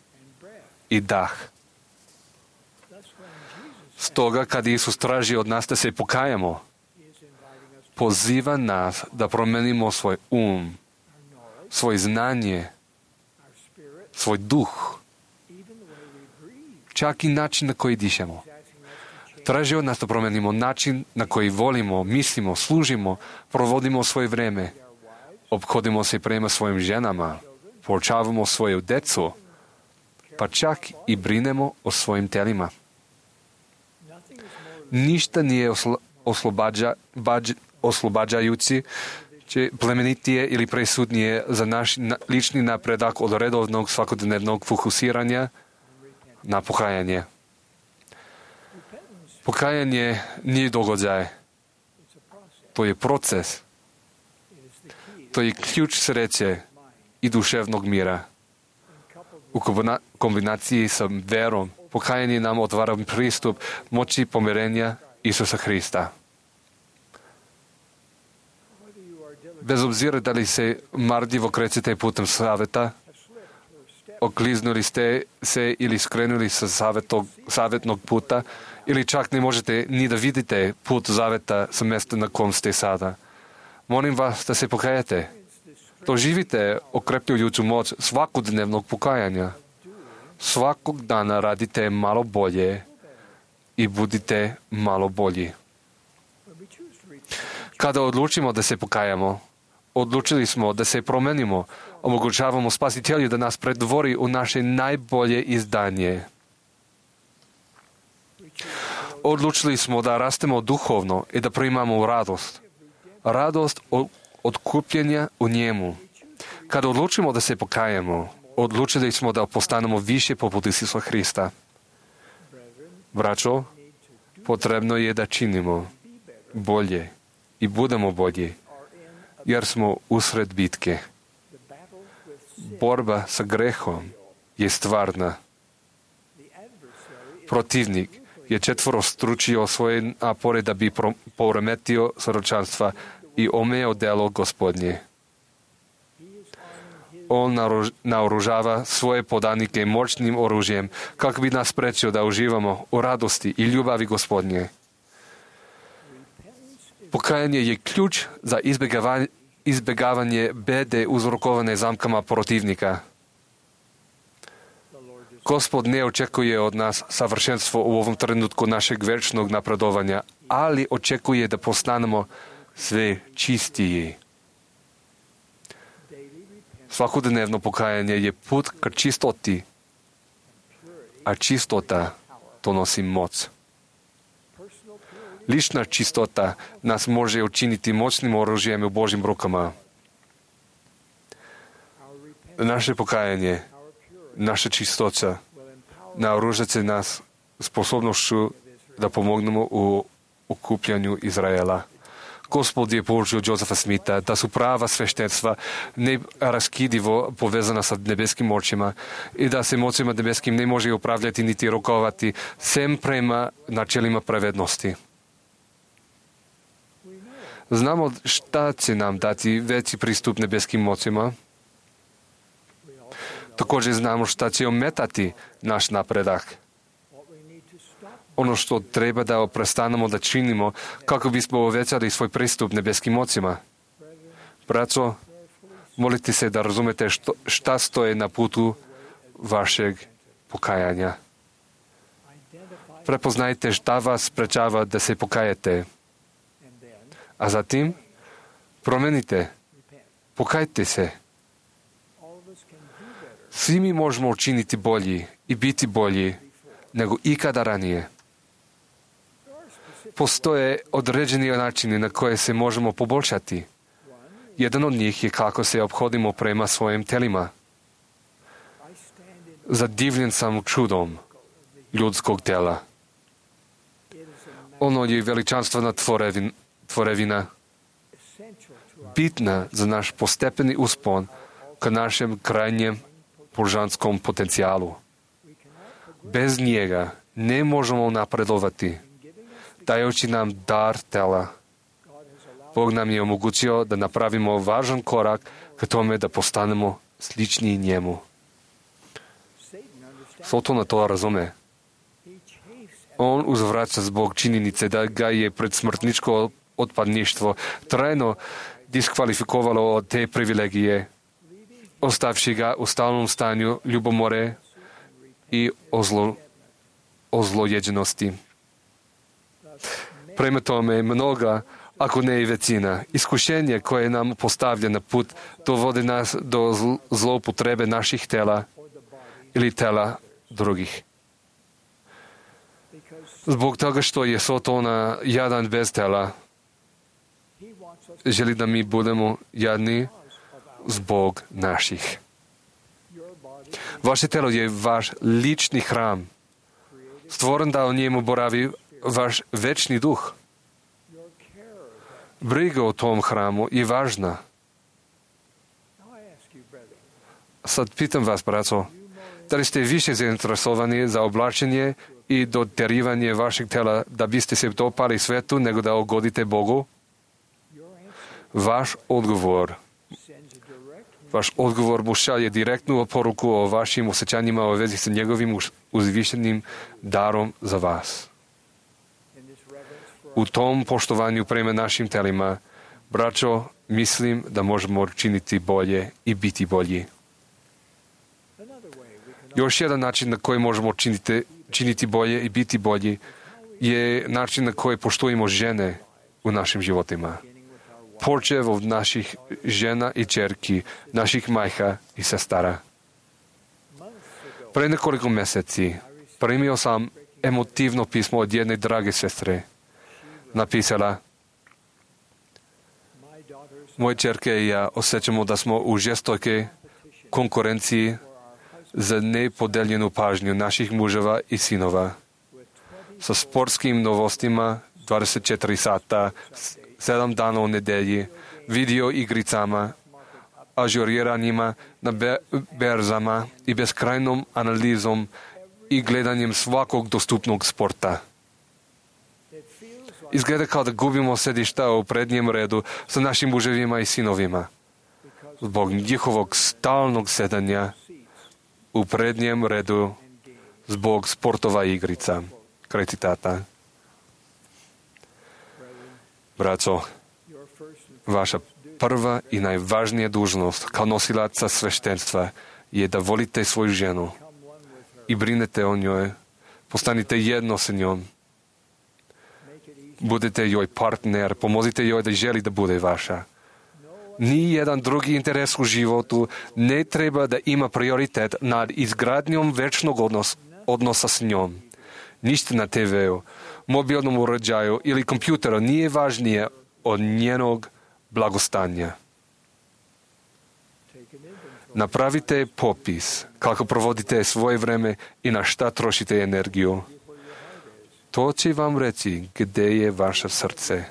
i dah. Stoga, kad Isus traži od nas da se pokajamo, poziva nas da promenimo svoj svoj znanje, svoj duh, čak i način na koji dišemo. Traži od nas da promenimo način na koji volimo, mislimo, služimo, provodimo svoje vreme, ophodimo se prema svojim ženama, poučavamo svoju decu, pa čak i brinemo o svojim telima. Ništa nije oslobađajući, plemenitije ili presudnije za naš lični napredak od redovnog svakodnevnog fokusiranja na pokajanje. Pokajanje nije događaj. To je proces. To je ključ sreće i duševnog mira. U kombinaciji sa verom, pokajanje nam otvara pristup moći pomirenja Isusa Hrista. Bez obzira da li se marljivo krećete putem saveta, okliznuli ste se ili skrenuli sa savjetnog puta, ili čak ne možete ni da vidite put zaveta sa mjesta na kom ste sada. Molim vas da se pokajete. Doživite okrepljujuću moć svakodnevnog pokajanja. Svakog dana radite malo bolje i budite malo bolji. Kada odlučimo da se pokajamo, odlučili smo da se promenimo, omogućavamo Spasitelju da nas pretvori u naše najbolje izdanje. Odlučili smo da rastemo duhovno i da primamo radost. Radost od kupljenja u njemu. Kada odlučimo da se pokajemo, odlučili smo da postanemo više poput Isusa Hrista. Braćo, potrebno je da činimo bolje i budemo bolji, jer smo usred bitke. Borba sa grehom je stvarna. Protivnik je četvorostručio svoje napore da bi poremetio soročanstva i omeo delo Gospodnje. On naoružava svoje podanike moćnim oružjem kako bi nas sprečio da uživamo u radosti i ljubavi Gospodnje. Покаяние je ključ za izbjegavanje bede uzrokovane zamkama protivnika. Gospod ne očekuje od nas savršenstvo u ovom trenutku našeg večnog napredovanja, ali očekuje da postanemo sve čistiji. Svakodnevno pokajanje je put ka čistoti, a čistota donosi moc. Lična čistota nas može učiniti moćnim oružjem u Božjim rukama. Naše pokajanje, naša čistoća naoružat će nas sposobnošću da pomognemo u okupljanju Izraela. Gospod je poučio Josefa Smitha da su prava sveštenstva neraskidivo povezana sa nebeskim očima i da se mocima nebeskim ne može upravljati niti rokovati sem prema načelima pravednosti. Znamo šta će nam dati veći pristup nebeskim mocima. Također znamo šta će ometati naš napredak. Ono što treba da prestanemo da činimo kako bismo uvećali svoj pristup nebeskim mocima. Braco, molite se da razumete šta stoje na putu vašeg pokajanja. Prepoznajte šta vas sprečava da se pokajete. A zatim promenite. Pokajte se. Svi mi možemo učiniti bolji i biti bolji nego ikada ranije. Postoje određeni načini na koje se možemo poboljšati. Jedan od njih je kako se ophodimo prema svojim telima. Zadivljen sam čudom ljudskog tela. Ono je veličanstvena tvorevina, bitna za naš postepeni uspon ka našem krajnjem božanskom potencijalu. Bez njega ne možemo napredovati. Dajući nam dar tela, Bog nam je omogućio da napravimo važan korak ka tome da postanemo slični njemu. Satan to razume. On uzvraća zbog činjenice da ga je predsmrtničko odpadništvo trajno diskvalifikovalo od te privilegije, ostavši ga u stalnom stanju ljubomore i ozlojeđenosti. Prema tome, mnoga, ako ne i većina, iskušenje koje nam postavlja na put dovodi nas do zloupotrebe naših tela ili tela drugih. Zbog toga što je Sotona jadan bez tela, želi da mi budemo jadni zbog naših. Vaše telo je vaš lični hram, stvoren da u njemu boravi vaš večni duh. Briga o tom hramu je važna. Sad pitam vas, braco, da li ste više zainteresovani za oblačenje i doterivanje vašeg tela da biste se dopali svetu nego da ugodite Bogu? Vaš odgovor mu šalje direktnu poruku o vašim osjećanjima u vezi sa njegovim uzvišenim darom za vas. U tom poštovanju prema našim telima, braćo, mislim da možemo činiti bolje i biti bolji. Još jedan način na koji možemo činiti bolje i biti bolji je način na koji poštujemo žene u našim životima. Počev od naših žena i čerki, naših majka i sestara. Pre nekoliko meseci primio sam emotivno pismo od jedne drage sestre. Napisala: moje čerke i ja osjećamo da smo u žestokoj konkurenciji za nepodeljenu pažnju naših muževa i sinova. Sa sportskim novostima 24 sata, 7 dana u nedelji, video igricama, ažuriranjima na berzama i beskrajnom analizom i gledanjem svakog dostupnog sporta. Izgleda kao da gubimo sedišta u prednjem redu sa našim muževima i sinovima. Zbog njihovog stalnog sedanja u prednjem redu zbog sportova igrica. Kraj citata. Braco, vaša prva i najvažnija dužnost kao nosilaca sveštenstva je da volite svoju ženu i brinete o njoj. Postanite jedno sa njom. Budete joj partner, pomozite joj da želi da bude vaša. Nijedan drugi interes u životu ne treba da ima prioritet nad izgradnjom večnog odnosa s njom. Ništa na TV-u, mobilnom uređaju ili kompjuteru nije važnije od njenog blagostanja. Napravite popis kako provodite svoje vreme i na šta trošite energiju. To će vam reći gdje je vaše srce.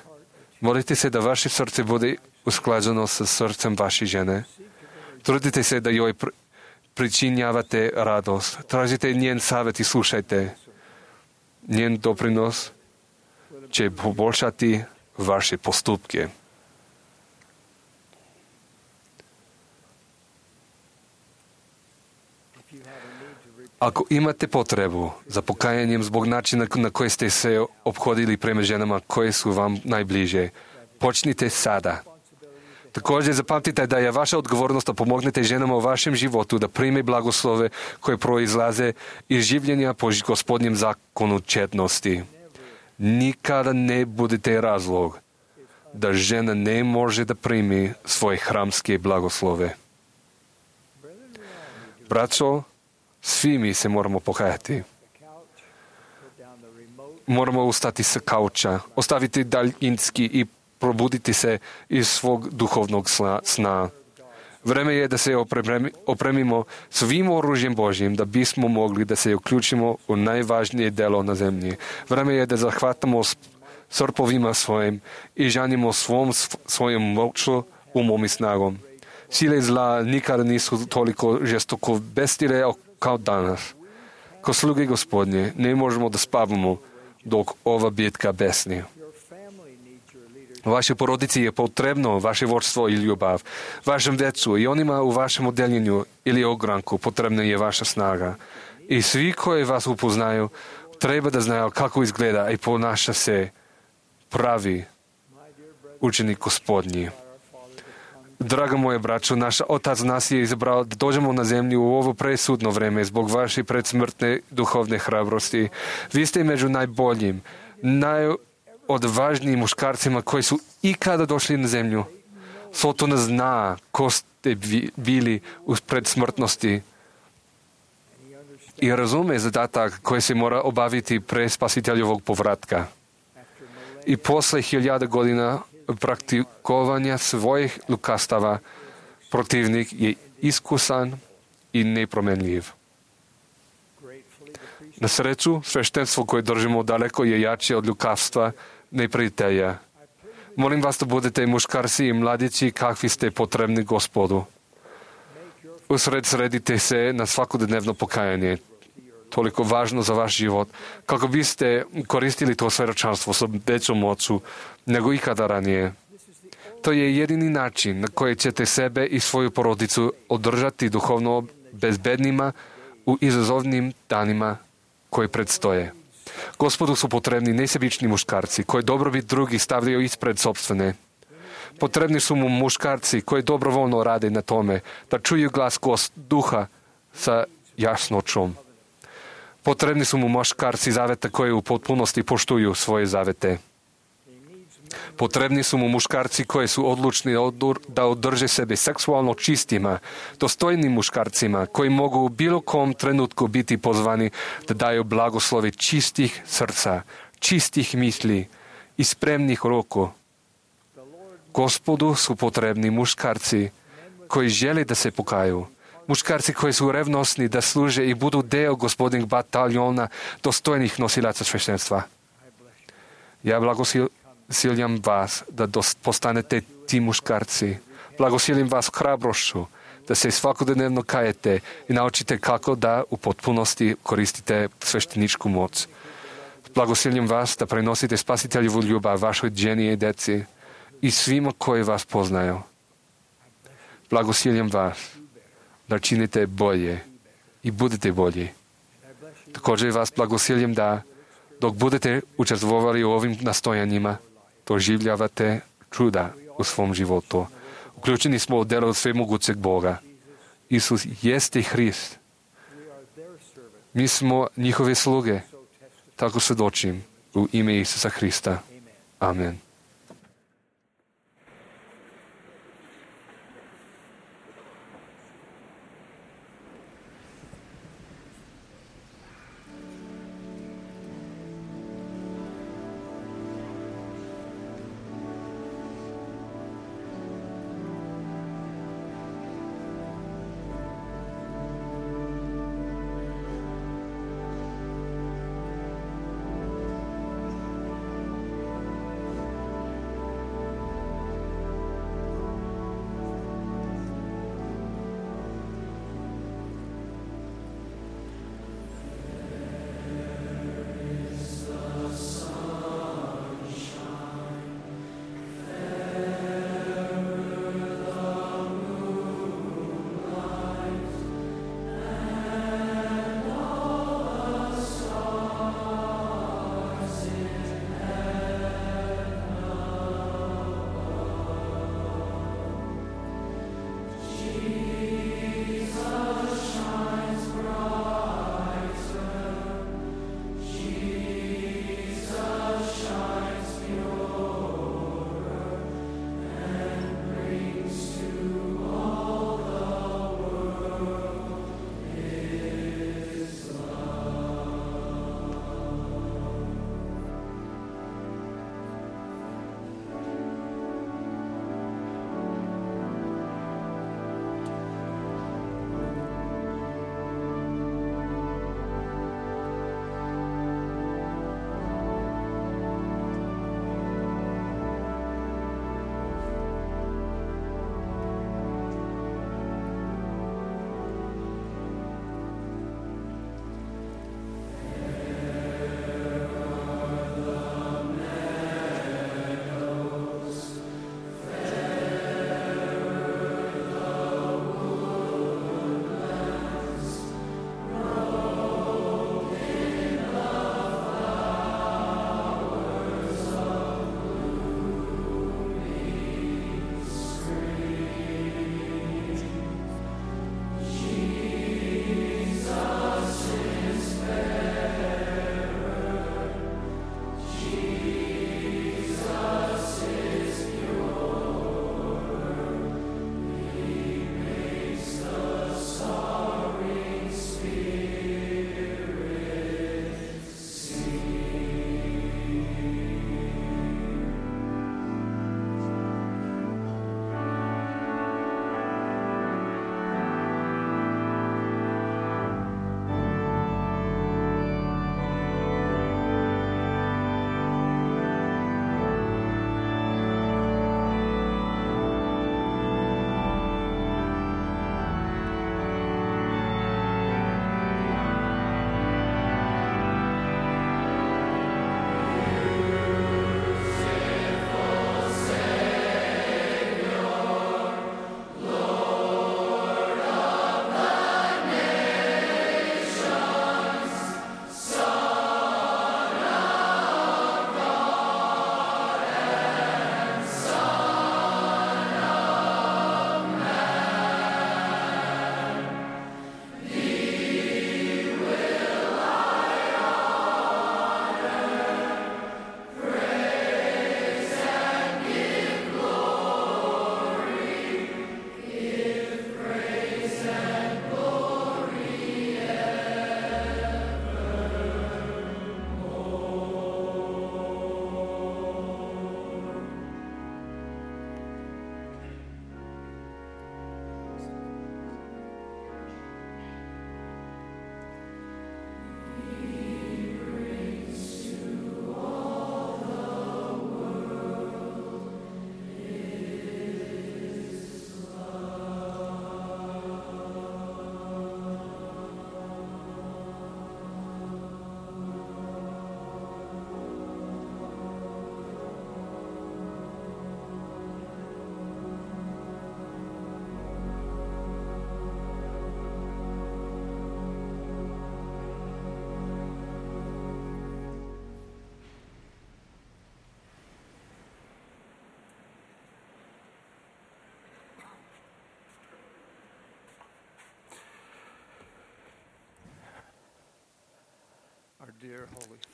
Molite se da vaše srce bude usklađeno sa srcem vaše žene. Trudite se da joj pričinjavate radost. Tražite njen savjet i slušajte. Njen doprinos će poboljšati vaše postupke. Ako imate potrebu za pokajanjem zbog načina na koji ste se ophodili prema ženama koje su vam najbliže, počnite sada. Također zapamtite da je vaša odgovornost da pomognete ženama u vašem životu da prime blagoslove koje proizlaze iz življenja po Gospodnjem zakonu četnosti. Nikada ne budete razlog da žena ne može da primi svoje hramske blagoslove. Braćo, svi mi se moramo pokajati. Moramo ustati sa kauča, ostaviti daljinski i probuditi se iz svog duhovnog sna. Vreme je da se opremimo svim oružjem Božjim da bismo mogli da se uključimo u najvažnije delo na zemlji. Vreme je da zahvatamo srpovima svojim i žanimo svojom moću, umom i snagom. Sile zla nikada nisu toliko žestoko bestile kao danas. Ko sluge Gospodnje ne možemo da spavamo dok ova bitka besni. Vašoj porodici je potrebno vaše vodstvo i ljubav. Vašem decu i onima u vašem odeljenju ili ogranku potrebna je vaša snaga. I svi koji vas upoznaju treba da znaju kako izgleda i ponaša se pravi učenik Gospodnji. Draga moje braćo, naš Otac nas je izabrao da dođemo na zemlju u ovo presudno vreme zbog vaše predsmrtne duhovne hrabrosti. Vi ste među najboljim, najodvažnijim muškarcima koji su ikada došli na zemlju. Sotona zna ko ste bili u predsmrtnosti i razume zadatak koji se mora obaviti pre spasiteljovog povratka. I posle 1000 godina praktikovanja svojih lukastava protivnik je iskusan i nepromenljiv. Na sreću, sveštenstvo koje držimo daleko je jače od lukavstva neprijatelja. Molim vas da budete muškarci i mladići kakvi ste potrebni Gospodu. Usredsredite se na svakodnevno pokajanje, toliko važno za vaš život, kako biste koristili to svedočanstvo sa većom moću nego ikada ranije. To je jedini način na koji ćete sebe i svoju porodicu održati duhovno bezbednima u izazovnim danima koji predstoje. Gospodu su potrebni nesebični muškarci koji dobrobit drugih stavljaju ispred sopstvene. Potrebni su mu muškarci koji dobrovoljno rade na tome da čuju glas duha sa jasnoćom. Potrebni su mu muškarci zaveta koji u potpunosti poštuju svoje zavete. Potrebni su mu muškarci koji su odlučni da održe sebe seksualno čistima, dostojnim muškarcima koji mogu u bilo kom trenutku biti pozvani da daju blagoslovi čistih srca, čistih misli i spremnih ruku. Gospodu su potrebni muškarci koji žele da se pokaju, muškarci koji su revnosni da služe i budu deo Gospodnjeg bataljona dostojnih nosilaca sveštenstva. Ja blagosiljam vas da postanete ti muškarci. Blagosiljam vas hrabrošću da se svakodnevno kajete i naučite kako da u potpunosti koristite svešteničku moć. Blagosiljam vas da prenosite spasiteljevu ljubav vašoj ženi i deci i svima koji vas poznaju. Blagosiljam vas da činite bolje i budete bolji. Također vas blagosiljam da dok budete učestvovali u ovim nastojanjima, doživljavate čuda u svom životu. Uključeni smo u delo svemogućeg Boga. Isus jeste Hrist. Mi smo njihove sluge. Tako svjedočim u ime Isusa Hrista. Amen.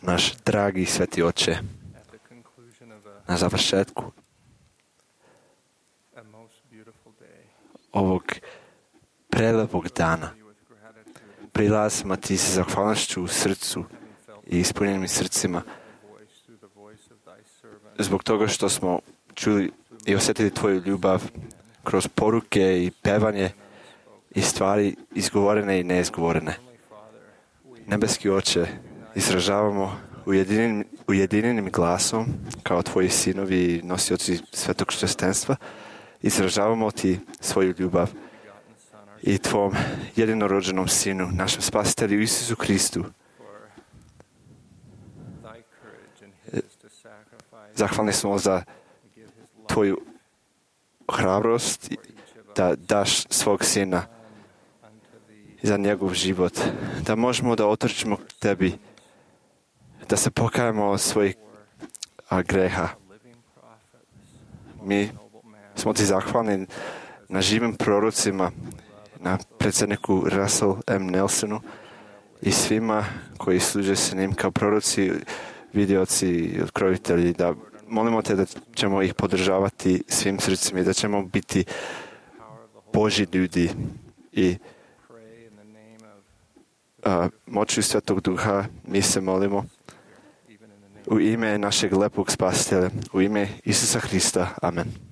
Naš dragi sveti Oče, na završetku ovog prelepog dana prilazimo ti sa zahvalnošću u srcu i ispunjenim srcima zbog toga što smo čuli i osjetili tvoju ljubav kroz poruke i pevanje i stvari izgovorene i neizgovorene. Nebeski Oče, izražavamo ujedinjenim glasom kao tvoji sinovi i nosioci svetog kršćanstva, izražavamo ti svoju ljubav i tvom jedinorođenom sinu, našem spasitelju Isusu Kristu. Zahvalni smo za tvoju hrabrost da daš svog sina za njegov život, da možemo da otrčimo k tebi, da se pokajemo od svojih greha. Mi smo ti zahvalni na živim prorocima, na predsjedniku Russell M. Nelsonu i svima koji služe se njim kao proroci, vidioci i otkrovitelji, da molimo te da ćemo ih podržavati svim srcima i da ćemo biti Božji ljudi i moću Svetog Duha mi se molimo u ime našeg lepog spasitelja, u ime Isusa Hrista. Amen.